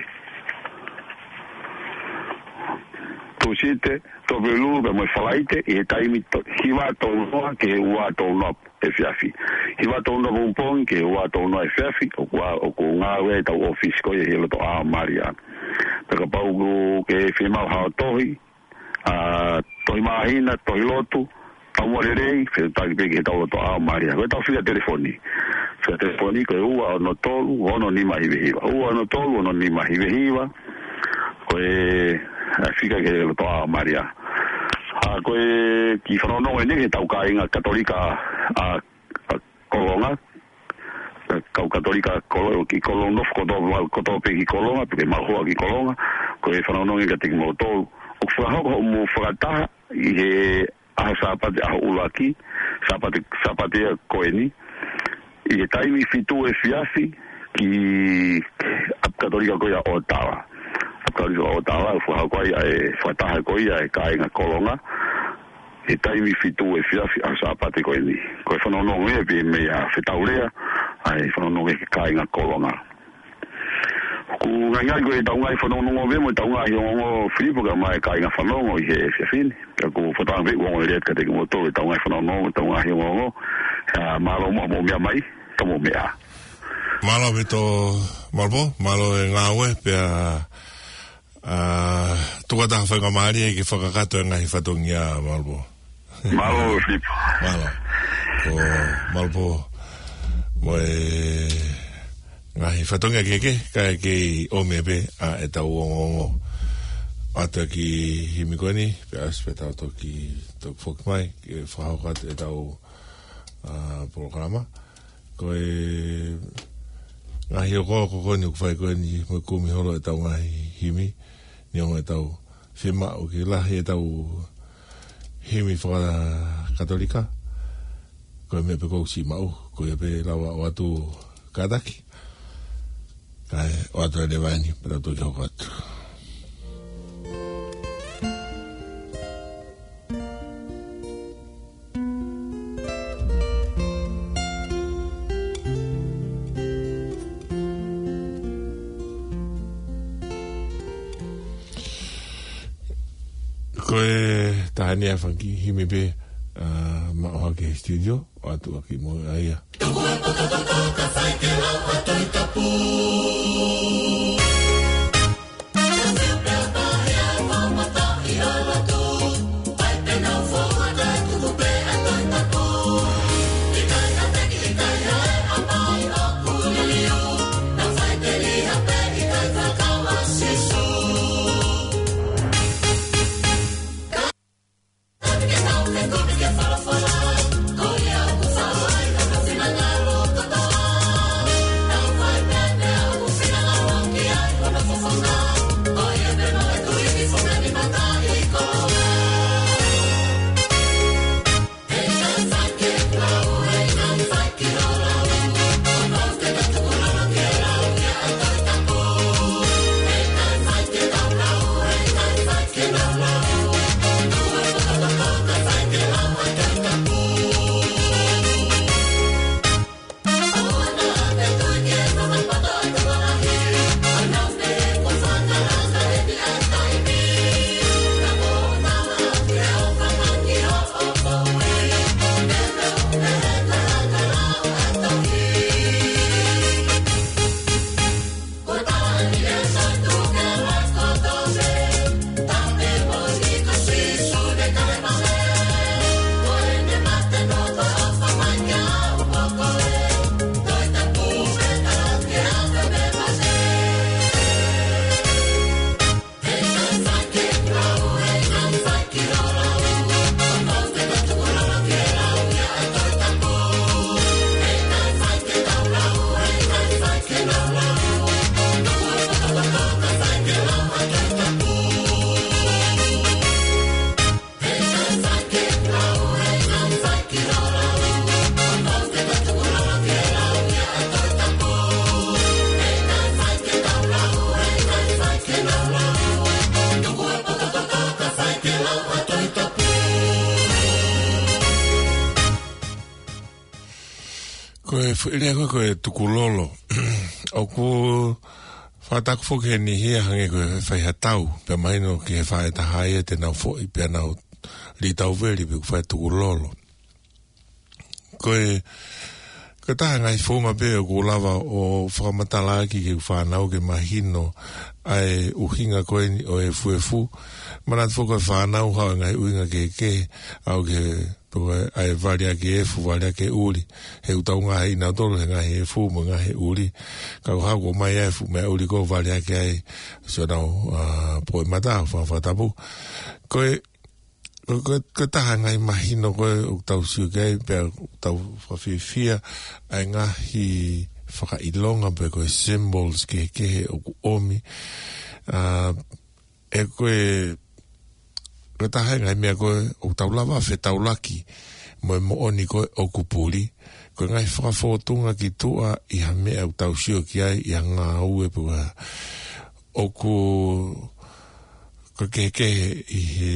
Tūsite, Tuʻapulelulu, pea mo e Falaite, ʻi he taimi to-, hiva tolu noa ki he ua tolu noa efiafi. Hiva tolu noa pongipongi ki he ua tolu noa efiafi, ʻoku ʻa, ʻoku ngāue ʻetau ʻōfisi ko ia ʻi he Loto ʻAo Malia. Pea kapau ʻoku ke fiemaʻu ha tohi, ʻa, tohi māhina, tohi lotu, taumuʻa lelei, fetuʻutaki pē ki heʻetau Loto ʻAo Malia. Ko ʻetau fika telefoni. Fika telefoni ko e ua ono tolu, ono nima hiva hiva. Ua ono tolu, ono nima hiva hiva. Ko e, ʻa, fika ki he Loto ʻAo Malia. ʻA, ko e kiʻi fanongonongo eni ki heʻetau kāinga Katolika, ʻa, ʻa, Kolonga, kau Katolika Kolo-, ʻi Kolonga, nofo kotoa, kotoa pē ki Kolonga, pea ke maʻu hoa ki Kolonga, ko e fanongonongo kiate kimoutolu. ʻOku fakahoko hoʻomou fakataha ʻi he ʻaho Sāpate, ʻaho ʻuluaki, Sāpate, Sāpate ia ko eni, ʻi he taimi fitu efiafi ki ʻapi Katolika ko ia ʻOtawa. ʻApi Katolika ʻOtawa, ʻoku fakahoko ai ʻa e fakataha ko ia ʻa e kāinga Kolonga, he taimi fitu efiafi ʻaho Sāpate ko eni. Ko e fanongonongo ia pē meia Fetaulea, ʻa e fanongonongo ki he kāinga Kolonga. ʻOku ngaingai ko ʻetau ngaahi fanongonongo pē mo ʻetau ngaahi ongoongo Filipo kae ʻumaʻā e kāinga fanongo ʻi he efiafi ni. Ka ʻoku ou fakatauange pē ʻoku ongo lelei atu kiate kimoutolu ʻetau ngaahi fanongonongo mo ʻetau ngaahi ongoongo. ʻA, mālō muʻa hoʻomou meʻa mai, tau mou meʻa. Mālō ʻaupito Malupō, mālō e ngāue pea ʻA, tuku atu ha faingamālie ke fakakakato e ngaahi fatongia Malupō. Mālō, Filipo. Mālō. Ko Malupō mo e ngaahi fatongia kehekehe, kae kei ʻomi pē ʻa ʻetau ongoongo. ʻAtu ki he himi ko eni, pea ʻosi pē tau toki, toki foki mai, ke fakahoko atu ʻetau, ʻa, polokalama. Ko e ngaahi ʻoku, ʻoku ko eni ʻoku fai ko eni mo e kumi holo ʻetau ngaahi himi, neongo ʻetau fiemaʻu ke lahi ʻetau himi fakakatolika, ko e meʻa pē ʻoku ou siʻi maʻu, ko ia pē lava ʻo ʻoatu kātaki, kae ʻoatu e leva eni, pea tau toki hoko atu. Ko e taha eni ʻa e fanga kiʻi himi pē, ʻa, maʻu hake he studio, ʻoatu ʻaki mo ia. Ko e foʻi lea ko ē ko e tukulolo. ʻOku fakataku foki he niʻihi ia hangē ko e fai ha tau, pea mahino ki he faʻē taha ia te nau foʻi, pea nau lī tauveli pe ʻoku fai tukulolo. Ko e, ko e taha e ngaahi founga pē ʻoku lava ʻo fakamatalaʻaki ki he fānau ke mahino ʻa e ʻuhinga ko eni ʻo e efuefu. Manatu foki ko e fānau haʻu e ngaahi ʻuhinga kehekehe, ʻalu ki he, pe ko e ʻai vale ʻaki e efu, vale ʻaki e ʻuli. He ʻoku tau ngaahi ʻi nautolu he ngaahi efu mo e ngaahi ʻuli. Ka ko e hā, ʻomai e efu mo e ʻuli ko e vale ʻaki ai siʻonau, ā, poʻi mata, fa-, fakatapu. Ko e, ko, ko, ko e taha e ngaahi mahino ko ē ʻoku tau sio ki ai, pea ʻoku tau fakafiefia ʻa e ngaahi fakaʻilonga pe ko e symbols kehekehe ʻoku ʻomi. Ā, ʻe ko e, ko e taha e ngaahi meʻa ko ē ʻoku tau lava fetaulaki mo e moʻoni ko ē ʻoku puli, ko e ngaahi fakafōtunga ki tuʻa ʻi ha meʻa ʻoku tau sio ki ai, ʻi ha ngāue pe ko e hā. ʻOku, ko e kehekehe ʻi he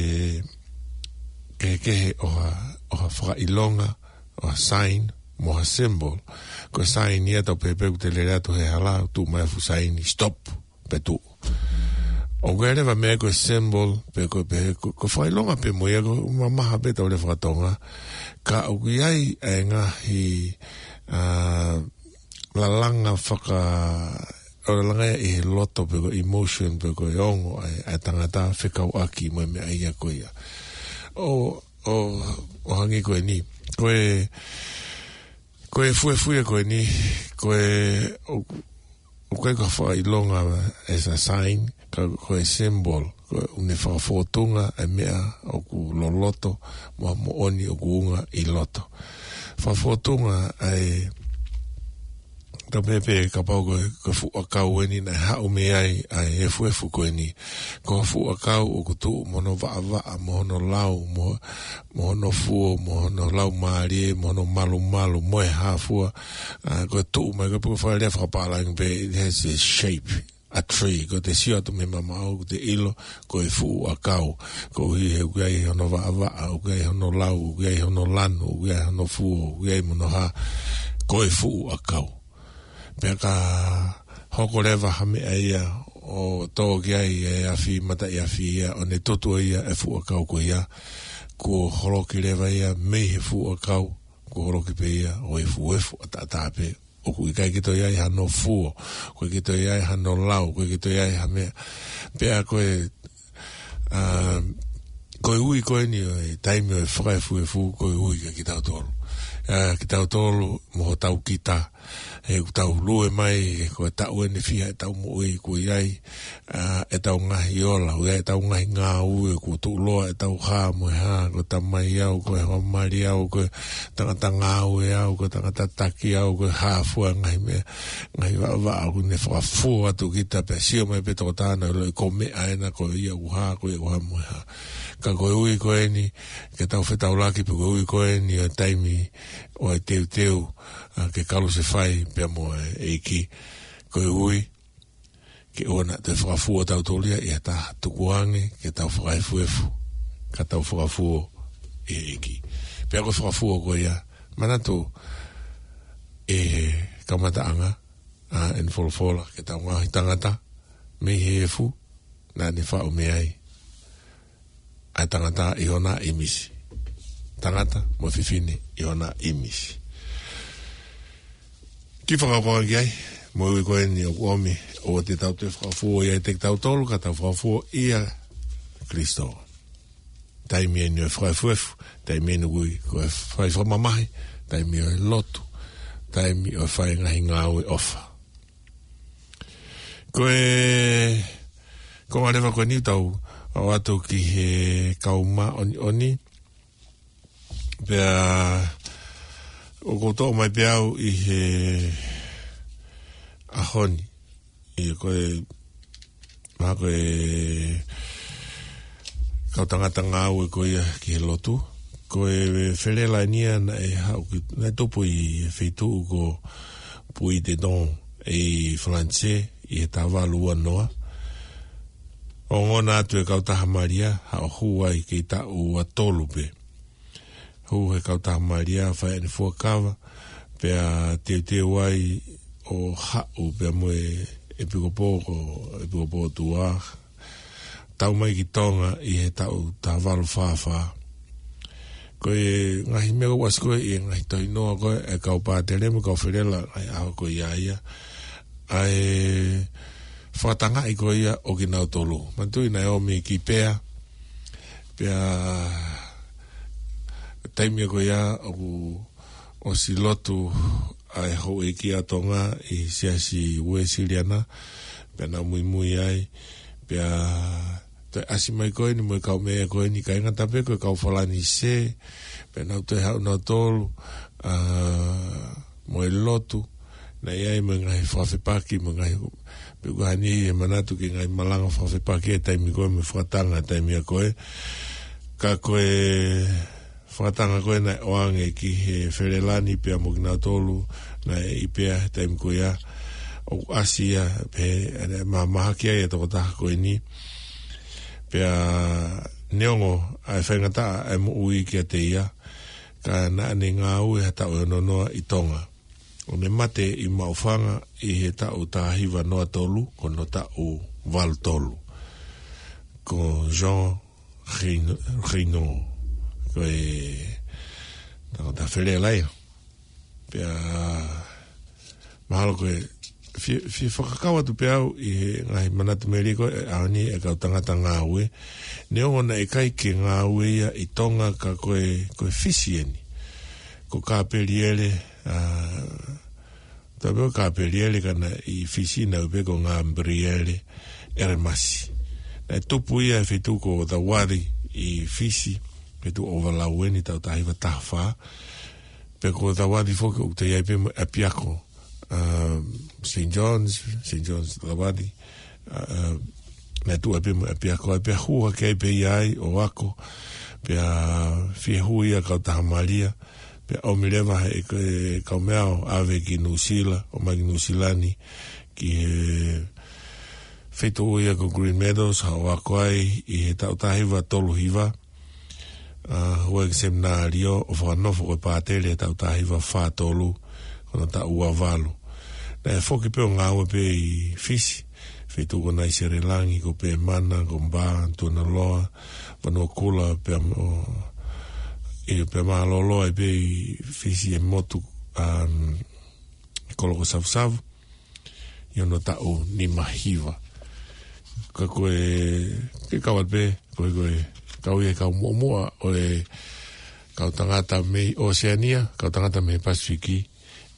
kehekehe ʻo ha, ʻo ha fakaʻilonga, ʻo ha sign, mo ha symbol. Ko e sign ia tau pehē pē ʻoku te lele atu he hala, tuʻu mai e fuʻu sign, stop, pea tuʻu. ʻOku ʻi ai leva e meʻa ko e symbol, pe ko e pehē, ko, ko e fakaʻilonga pē mo ia, ʻoku mamaha pē ʻetau lea faka-Tonga. Ka ʻoku ʻi ai ʻa e ngaahi, ā, lalanga faka-, ʻo lalanga ia ʻi he loto pe ko e emotion pe ko e ongo ʻa e, ʻa e tangata fekauʻaki mo e meʻa ia ko ia. ʻO, ʻo, ʻo hangē ko eni. Ko e, ko e efuefu ia ko eni, ko e, ʻo, ʻoku ʻikai ko ha fakaʻilonga as a sign, ka ko e symbol, ko e ʻoku ne fakafōtunga e meʻa ʻoku loloto, mo e moʻoni ʻoku unga ʻi loto. Fakafōtunga ʻa e, tau pehē pē kapau ko e, ko e fuʻu ʻakau eni naʻe haʻu mei ai ʻa e efuefu ko eni. Ko e fuʻu ʻakau ʻoku tuʻu mo hono vaʻavaʻa, mo hono lau, mo, mo hono fuo, mo hono laumālie, mo hono malumalu, mo e hā fua. Ā, ko e tuʻu mai, ko e pē ko e fakalea fakapālangi pē, it has a shape, a tree. Ko ʻete sio atu mei mamaʻo, ʻoku te ʻilo, ko e fuʻu ʻakau. Koeʻuhi he ʻoku ʻi ai hono vaʻavaʻa, ʻoku ʻi ai hono lau, ʻoku ʻi ai hono lanu, ʻoku ʻi ai hono fuo, ʻoku ʻi ai mo hono hā. Ko e fuʻu ʻakau. Pea ka hoko leva ha meʻa ia ʻo tō ki ai e afi, mataʻi afi ia, ʻo ne tutu ia e fuʻu ʻakau ko ia, kuo holoki leva ia mei he fuʻu ʻakau, kuo holoki pē ia ʻo efuefu ʻataʻatā pē. ʻOku ʻikai ke toe ʻi ai hano fuo, ʻoku ʻikai ke toe ʻi ai hano lau, ʻoku ʻikai ke toe ʻi ai ha meʻa. Pea ko e, ā, ko e ui ko eni ʻo e taimi ʻo e fakaefuefu, ko e ui kia kitautolu. Ā, kitautolu mo hotau kita, he ʻoku tau lue mai, ko e taʻu eni fiha ʻetau moʻui, kuo ʻi ai, ā, ʻetau ngaahi ola, ʻoku ʻi ai ʻetau ngaahi ngāue, kuo tuʻuloa ʻetau hā mo e hā, ko e tamai au, ko e hoa mali au, ko e tangata ngāue au, ko e tangata taki au, ko e hā fua ngaahi meʻa, ngaahi vaʻavaʻa ʻoku ne fakafō atu kita pea sio mai pē tokotaha ʻo ʻiloʻi ko e meʻa ena, ko ia ʻoku hā, ko ia ʻoku hā mo e hā. Ka ko e ui ko eni ke tau fetaulaki, pe ko e ui ko eni ʻo e taimi ʻo e teuteu, ā, ke kalusefai pea mo e ʻEiki. Ko e ui ke ʻoua naʻa toe fakafuo tautolu ia ʻi ha taha, tukuange ke tau fakaefuefu, ka tau fakafuo ʻi he ʻEiki. Pea ko e fakafuo ko ia, manatu e kamataʻanga, ā, ʻene folofola ki heʻetau ngaahi tangata mei he efu, naʻa ne faʻu mei ai ʻa e tangata ʻi hona ʻīmisi. Tangata mo e fefine ʻi hona ʻīmisi. Kiʻi fakapanga ki ai, mo e ui ko eni ʻoku ʻomi, ʻoua te tau toe fakafuo ia ʻiate kitautolu, ka tau fakafuo ʻia Kalaisi. Taimi eni ʻo e fakaefuefu, taimi eni ʻoku ui ko e fai fakamamahi, taimi ʻo e lotu, taimi ʻo e fai ngaahi ngāue ʻofa. Ko e konga leva ko eni ʻoku tau ʻoatu ki he kau māʻoniʻoni. Pea ʻoku ou toʻo mai pē au ʻi he ʻaho ni, ʻi he ko e, mahalo ko e kau tangata ngāue ko ia ki he lotu. Ko e felelainia naʻe haʻu ki, naʻe tupu ʻi he feituʻu ko Puy-de-Dôme ʻi Falanisē ʻi he taha valu ua noa. ʻOku ongona atu e kautaha Malia, haʻu ai kei taʻu ua tolu pē. Hū he kautaha Malia, fai ʻene fuakava, Pea teuteu ai ʻo haʻu pea mo e ʻEpikopō ko ʻEpikopō Tuʻa, tau mai ki Tonga ʻi he taʻu taha valu fā fā. Ko e ngaahi meʻa ʻoku ʻasi ko ē ʻi he ngaahi tohinoa ko ē ʻa e kau pātele mo e kau felela ʻi he ʻaho ko ia ia, ʻa e fakatangaʻi ko ia ʻo kinautolu. Manatuʻi naʻe ō mei Kipea, pea taimi ko ia ʻoku ʻosi lotu ʻa e houʻeiki ʻa Tonga ʻi he Siasi Uēsiliana, pea nau muimui ai, pea toe ʻasi mai ko eni mo e kaumeʻa ko eni, ʻikai ngata pē ko e kau Falanisē, pea nau toe haʻu nautolu, ʻa, mo e lotu, naʻe ʻi ai mo e ngaahi fakafepaki, mo e ngaahi, pe ko hani e manatu ki he ngaahi malanga fakafepaki ʻa e taimi ko ē mo e fakatanga ʻa e taimi ko ē. Ka ko e fakatanga ko ē naʻe ʻoange ki he felela ni pea mo kinautolu naʻe ʻi Kipea he taimi ko ia, ʻoku ʻasi ia pē, ʻa e mahamahaki ai ʻa e tokotaha ko eni. Pea neongo ʻa e faingataʻa ʻa e moʻui kiate ia, ka naʻa ne ngāue ha taʻu ʻe ono noa ʻi Tonga. ʻO ne mate ʻi Maʻufanga ʻi he taʻu taha hiva noa tolu, ko hono taʻu valu tolu. Ko Jean Reno, Reno, ko e tangata felela ia. Pea mahalo ko e fie, fie fakakau atu pē au ʻi he ngaahi manatu melie ko ē ʻa eni ʻa e kau tangata ngāue. Neongo naʻe ʻikai ke ngāue ia ʻi Tonga ka ko e, ko e Fisi eni. Ko Kapeliele, ʻa, tapu ko Kapeliele ka naʻe ʻi Fisi naʻe ui pē ko Gabriele Eremasi. Naʻe tupu ia he feituʻu ko Tawari ʻi Fisi, feituʻu ʻo Ovalau eni taʻu taha hiva taha fā. Pea ko Tawari foki ʻoku toe ʻi ai pē mo e ʻapiako, um, Saint John's, Saint John's Tawari, uh, naʻe tuʻu ai pē mo e ʻapiako ai, pea hū hake ai pē ia ai ʻo ako, pea fie hū ia kau taha malia, pea ʻomi leva he, he kaumeʻa ʻo ʻave ki Nuʻusila, ʻomai ki Nuʻusila ni, ki he feituʻu ia ko Greenmeadows, haʻu ʻo ako ai ʻi he taʻu taha hiva tolu hiva, ʻa, hū ai ki he seminalio ʻo fakanofo ko e pātele he taʻu taha hiva fā tolu, ko hono taʻu ua valu. Naʻe foki pē ʻo ngāue pē ʻi Fisi, feituʻu ko Naiselelangi, ko Pemana, ko Bā, Tuanaloa, Vanuakula, pea mo, ʻio, pea mālōlō ai pē ʻi Fisi ʻi he motu, um, kolo ko Savusavu, ʻi hono taʻu nima hiva. Ka ko e, ke kau atu pē, ko e, ko e, kau ia he kau muʻomuʻa ʻo e kau tangata mei Oseania, kau tangata mei Pasifiki,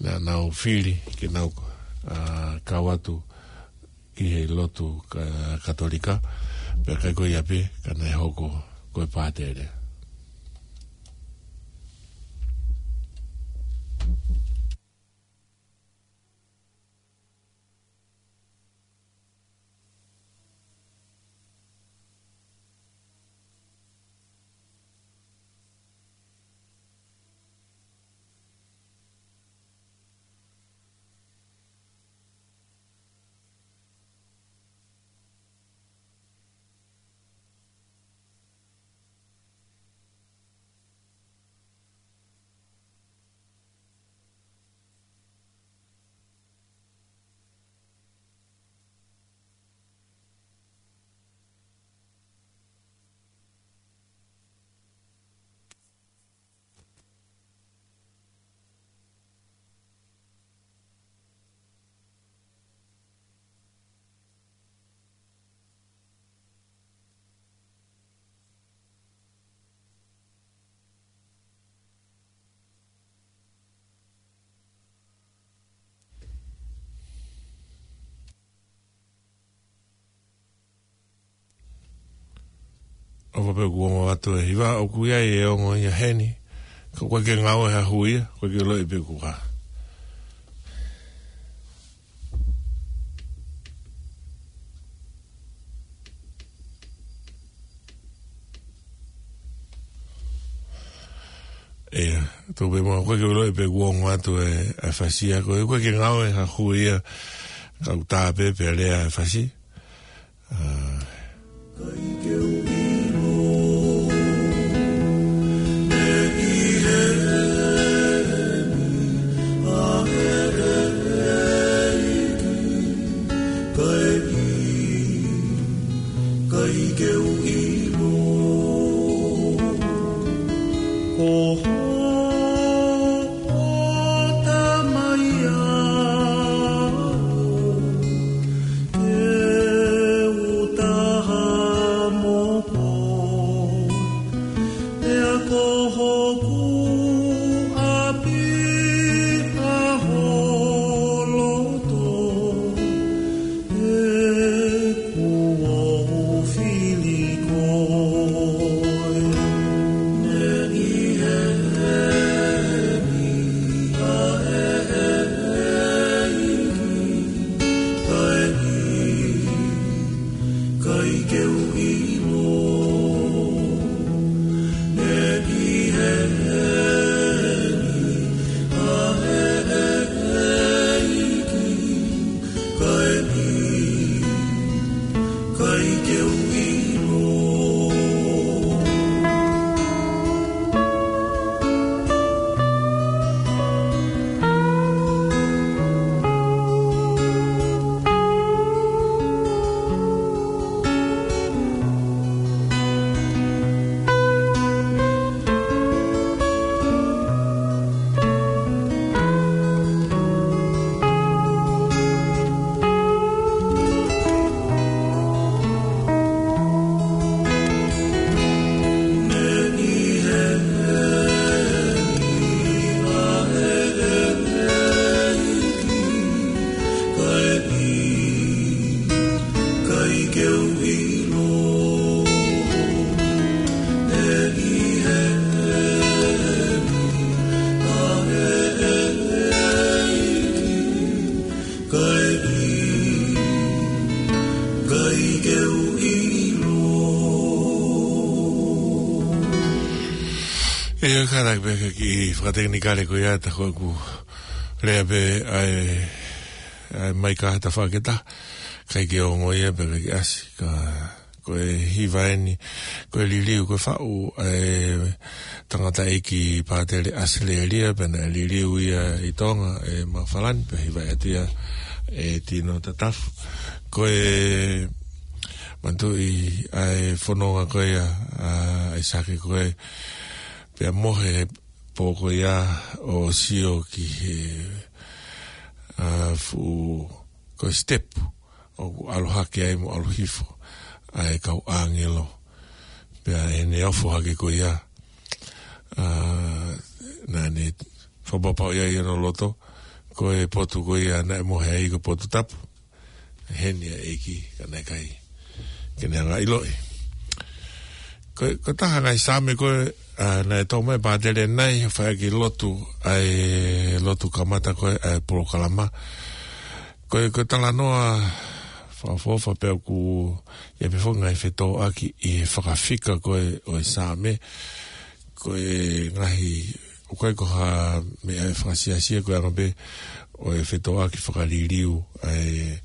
naʻa nau fili ke nau, ʻa, kau atu ki he lotu ka-, Katolika, pea ʻikai ko ia pē, ka naʻe hoko ko e pātele. ʻOfa pē kuo ongo atu e hiva, ʻoku ʻi ai e ongo ia heni. Ka ʻoku ʻikai ke ngāue ha hui ia, ʻoku ʻikai ke loi pē kuo hā. ʻIa, tau pē mo, ʻoku ʻikai ke loi pē kuo ongo atu e, e fasi ia, ko e, ʻoku ʻikai ke ngāue ha hui ia, ka ʻoku tā pē pea lea e fasi. ʻA. Ke u ʻilo, ko hoʻo tamai au, ke u taha mo koe, pea ko hoku ʻapi ʻa ho loto, he kuo u fili koe. Neʻi heni ʻa e ʻEiki, kae ʻikai ke u ʻilo. Neʻi heni ʻa e ʻEiki, kae ʻikai ke u ʻilo. Kae ʻikai ke u ʻilo. ʻIo, kātaki pē ki he fakatekinikale ko ia, tā ko ʻeku lea pē ʻa e, ʻa e maika ha tafaʻaki ʻe taha, ʻikai ke ongo ia pea ʻikai ke ʻasi, ka ko e hiva eni, ko e liliu, ko e faʻu ʻa e tangataʻeiki Pātele ʻAselelia, pea naʻe liliu ia ʻi Tonga ʻe Mafalani, pea hivaʻi atu ia ʻe Tino Tatafu. Ko e manatuʻi ʻa e fononga ko ia ʻa ʻAisake ko ē, pea mohe pō ko ia ʻo sio ki he, ʻa, fuʻu, ko e step ʻoku ʻalu hake ai mo ʻalu hifo ʻa e kau ʻāngelo. Pea ʻi heʻene ofo hake ko ia, ʻa, naʻa ne fakapapauʻi ai ʻi hono loto, ko e potu ko ia naʻe mohe ai ko e potu tapu. Heni ʻa e ʻEiki, ka naʻe ʻikai ke ne hanga ʻiloʻi. Ko, ko e taha ngaahi Saame ko ē, ʻa, naʻe tō mai ʻe Pātele ʻanenai, fai ʻaki e lotu, ʻa e lotu kamata ko ē ʻa e polokalama. Ko e, ko e talanoa fakaʻofoʻofa pea ʻoku ʻi ai pē foki e ngaahi fetōʻaki ʻi he fakafika ko ē ʻo e Saame. Ko e ngaahi, ʻoku ʻikai ko ha meʻa ʻe fakasiasia, ko e anga pē ʻo e fetōʻaki fakaliliu ʻa e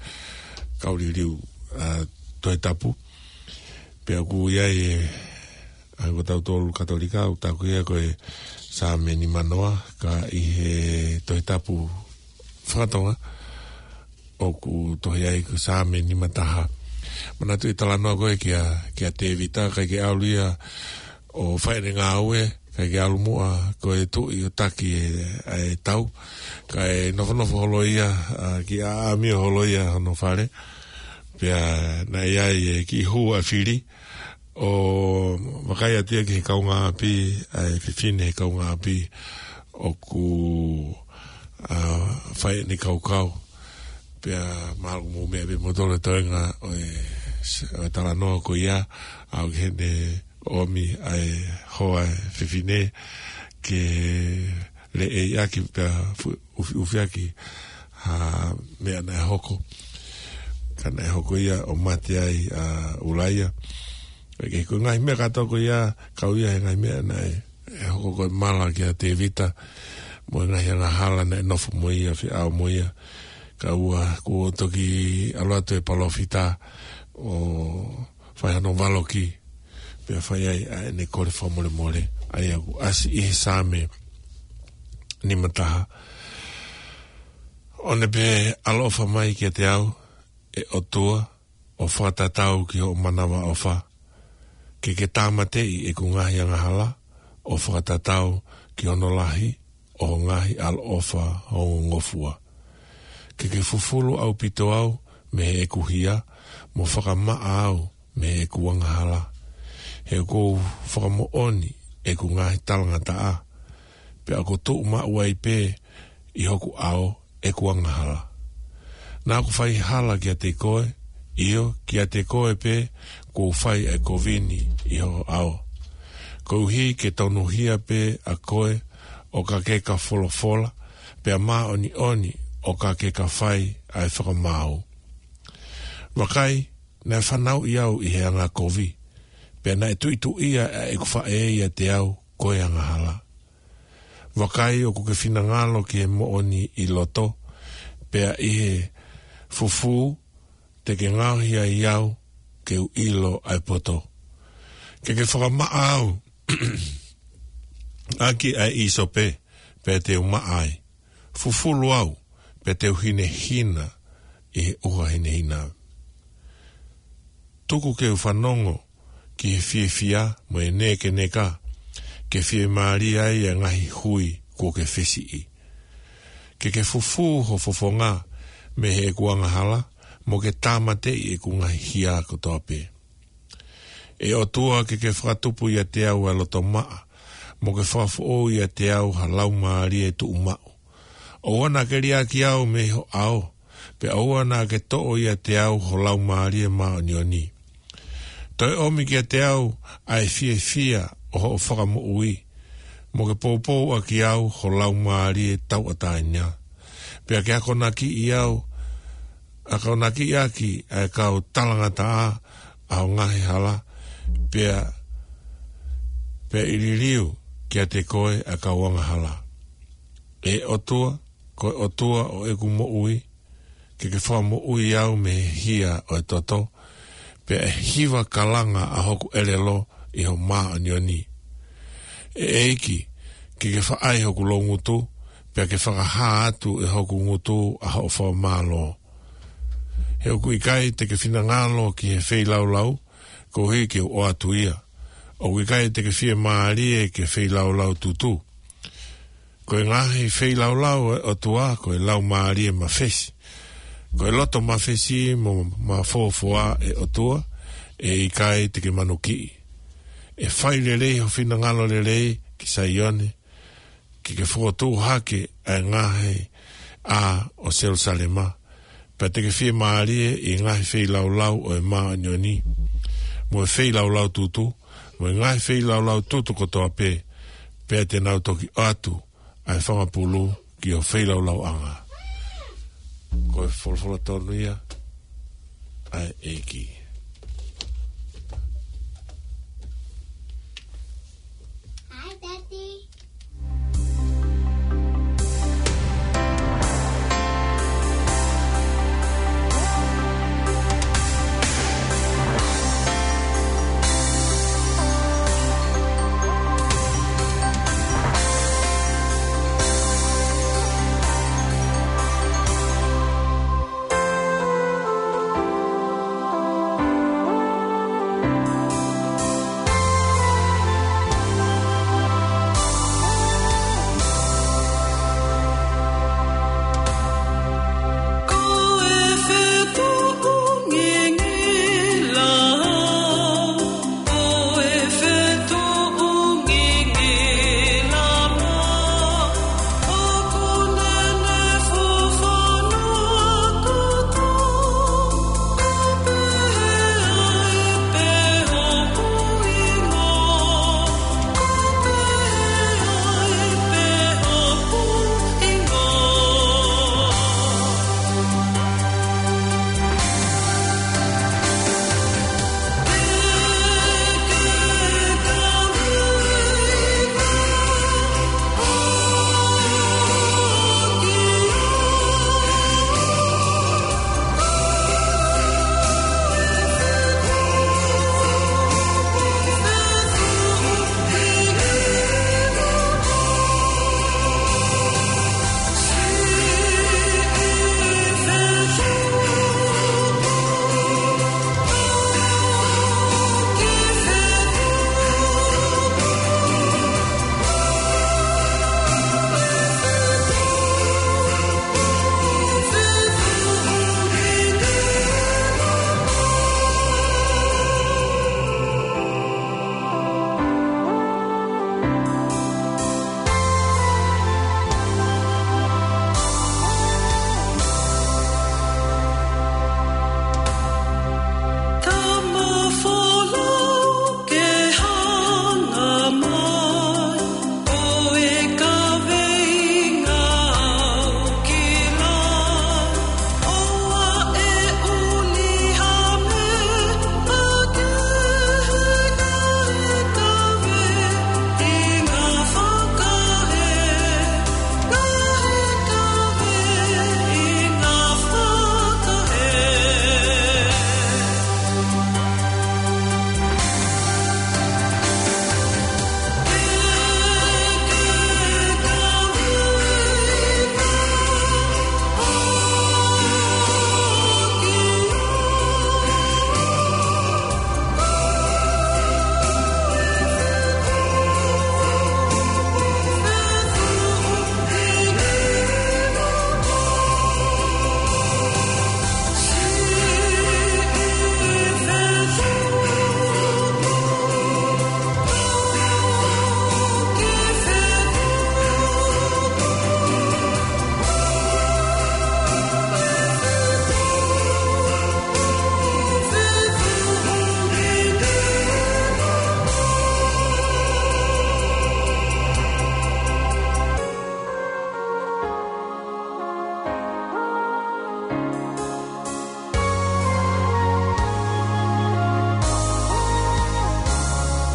kau liliu, ʻa, Tohi Tapu. Pea ʻoku ʻi ai e, ʻa, ko tautolu Katolika, ʻoku tau ko ia ko e Saame nimanoa, ka ʻi he Tohi Tapu faka-Tonga, ʻoku tohi ai ko e Saame nimataha. Manatuʻi e talanoa ko ē kia, kia Tēvita, ʻikai ke ʻalu ia ʻo fai ʻene ngāue, ʻikai ke ʻalu muʻa ko e tuʻi ʻo taki e, ʻa e tau. Kae nofonofo holo ia, ʻa, ki ʻaʻamio holo ia hono fale. Pea naʻe ʻi ai e kiʻi hū ʻa e fili, ʻo vakai atu ia ki he kaungāʻapi, ʻa e fefine he kaungāʻapi ʻoku, ʻa, fai ʻene kaukau. Pea mahalo mou meʻa pē moutolu e toenga ʻo e, ʻo e talanoa ko ia, ʻa, ʻoku ʻi heni ʻomi ʻa e hoa e fefine ke leʻei ʻaki pea fu-, ʻufiʻufi ʻaki ha meʻa naʻe hoko. Ka naʻe hoko ia ʻo mate ai ʻa ʻUlaia. Pea ko e ngaahi meʻa kātoa ko ia, kau ia he ngaahi meʻa naʻe, ʻe hoko ko e mala kia Tēvita, mo e ngaahi angahala naʻe nofo mo ia, feʻao mo ia. Kae ʻoua kuo toki ʻalu atu e palōfita ʻo fai hano valoki, pea fai ai ʻa ʻene kole fakamolemole, ʻa ia ʻoku ʻasi ʻi he Saame nimataha. ʻOua pē ʻaloʻofa mai kiate au, ʻe ʻOtua, ʻo fakatatau ki hoʻo manavaʻofa, Ke ke tāmateʻi ʻeku ngaahi angahala, ʻo fakatatau ki hono lahi ʻo ho ngaahi ʻaloʻofa ongongofua. Ke ke fufulu ʻaupito au mei heʻeku hia, mo fakamaʻa au mei heʻeku angahala. He ʻoku ou fakamoʻoni ʻeku ngaahi talangataʻa, pea ʻoku tuʻu maʻu ai pē ʻi hoku ʻao ʻeku angahala. Naʻa ku fai hala kiate koe, ʻio, kiate koe pē kuo u fai ʻa e kovi ni ʻi ho ʻao. Koeʻuhi ke tonuhia pē ʻa koe ʻo ka ke ka folofola, pea māʻoniʻoni ʻo ka ke ka fai ʻa e fakamaau. Vakai, naʻe fanauʻi au ʻi he angakovi, pea naʻe tuʻituʻia ʻa ʻeku faʻē ʻiate au ko e angahala. Vakai, ʻoku ke finangalo ki he moʻoni ʻi loto, pea ʻi he fufū te ke ngaohi ai au ke u ʻilo ʻa e poto. Ke ke fakamaʻa au ʻaki ʻa e ʻīsope, pea te u maʻa ai. Fufulu au, pea te u hinehina ʻi he ʻuha hinehina. Tuku ke u fanongo ki he fiefia mo e nekeneka, ke fiemālie ai ʻa e ngaahi hui kuo ke fesiʻi. Ke ke fufū ho fofonga mei heʻeku angahala, mo ke tāmateʻi ʻeku ngaahi hia kotoa pē. ʻE ʻOtua, ke ke fakatupu ʻiate au ʻa e loto maʻa, mo ke fakafoʻou ʻiate au ha laumālie tuʻumaʻu. ʻOua naʻa ke liʻaki au mei ho ʻao, pea ʻoua naʻa ke toʻo ʻiate au ho laumālie māʻoniʻoni. Toe ʻomi kiate au ʻa e fiefia ʻo hoʻo fakamoʻui, mo ke poupou ʻaki au ho laumālie tauʻatāina. Pea ke akonakiʻi au, akonakiʻi ʻaki ʻa e kau talangataʻa ʻa ho ngaahi hala, pea, pea ʻe liliu kiate koe ʻa e kau angahala. ʻE ʻOtua, ko e ʻOtua ʻo ʻeku moʻui, ke ke fakamoʻui au mei he hia ʻo e toto, pea ʻe hiva kalanga ʻa hoku ʻelelo ʻi ho māʻoniʻoni. ʻE ʻEiki, ke ke faʻai hoku loungutu, pea ke fakahā atu ʻe hoku ngutu ʻa hoʻo fakamālō. He ʻoku ʻikai te ke finangalo ki he feilaulau, koeʻuhi ke u ʻoatu ia. ʻOku ʻikai te ke fiemālie ki he feilaulau tutu. Ko e ngaahi feilaulau ʻo e ʻOtua, ko e laumālie mafesi. Ko e loto mafesi mo mafofoa ʻe ʻOtua, ʻe ʻikai te ke manukiʻi. ʻE fai lelei ho finangalo lelei ki Saione, ke ke fokotuʻu hake ʻa e ngaahi ʻā ʻo Selusalema. Pea te ke fiemālie ʻi he ngaahi feilaulau ʻo e māʻoniʻoni, mo e feilaulau tutu, mo e ngaahi feilaulau tutu kotoa pē, pea te nau toki ʻoatu ʻa e fanga pulu ki ho feilaulauʻanga. Ko e folofola tonu ia ʻa e ʻEiki.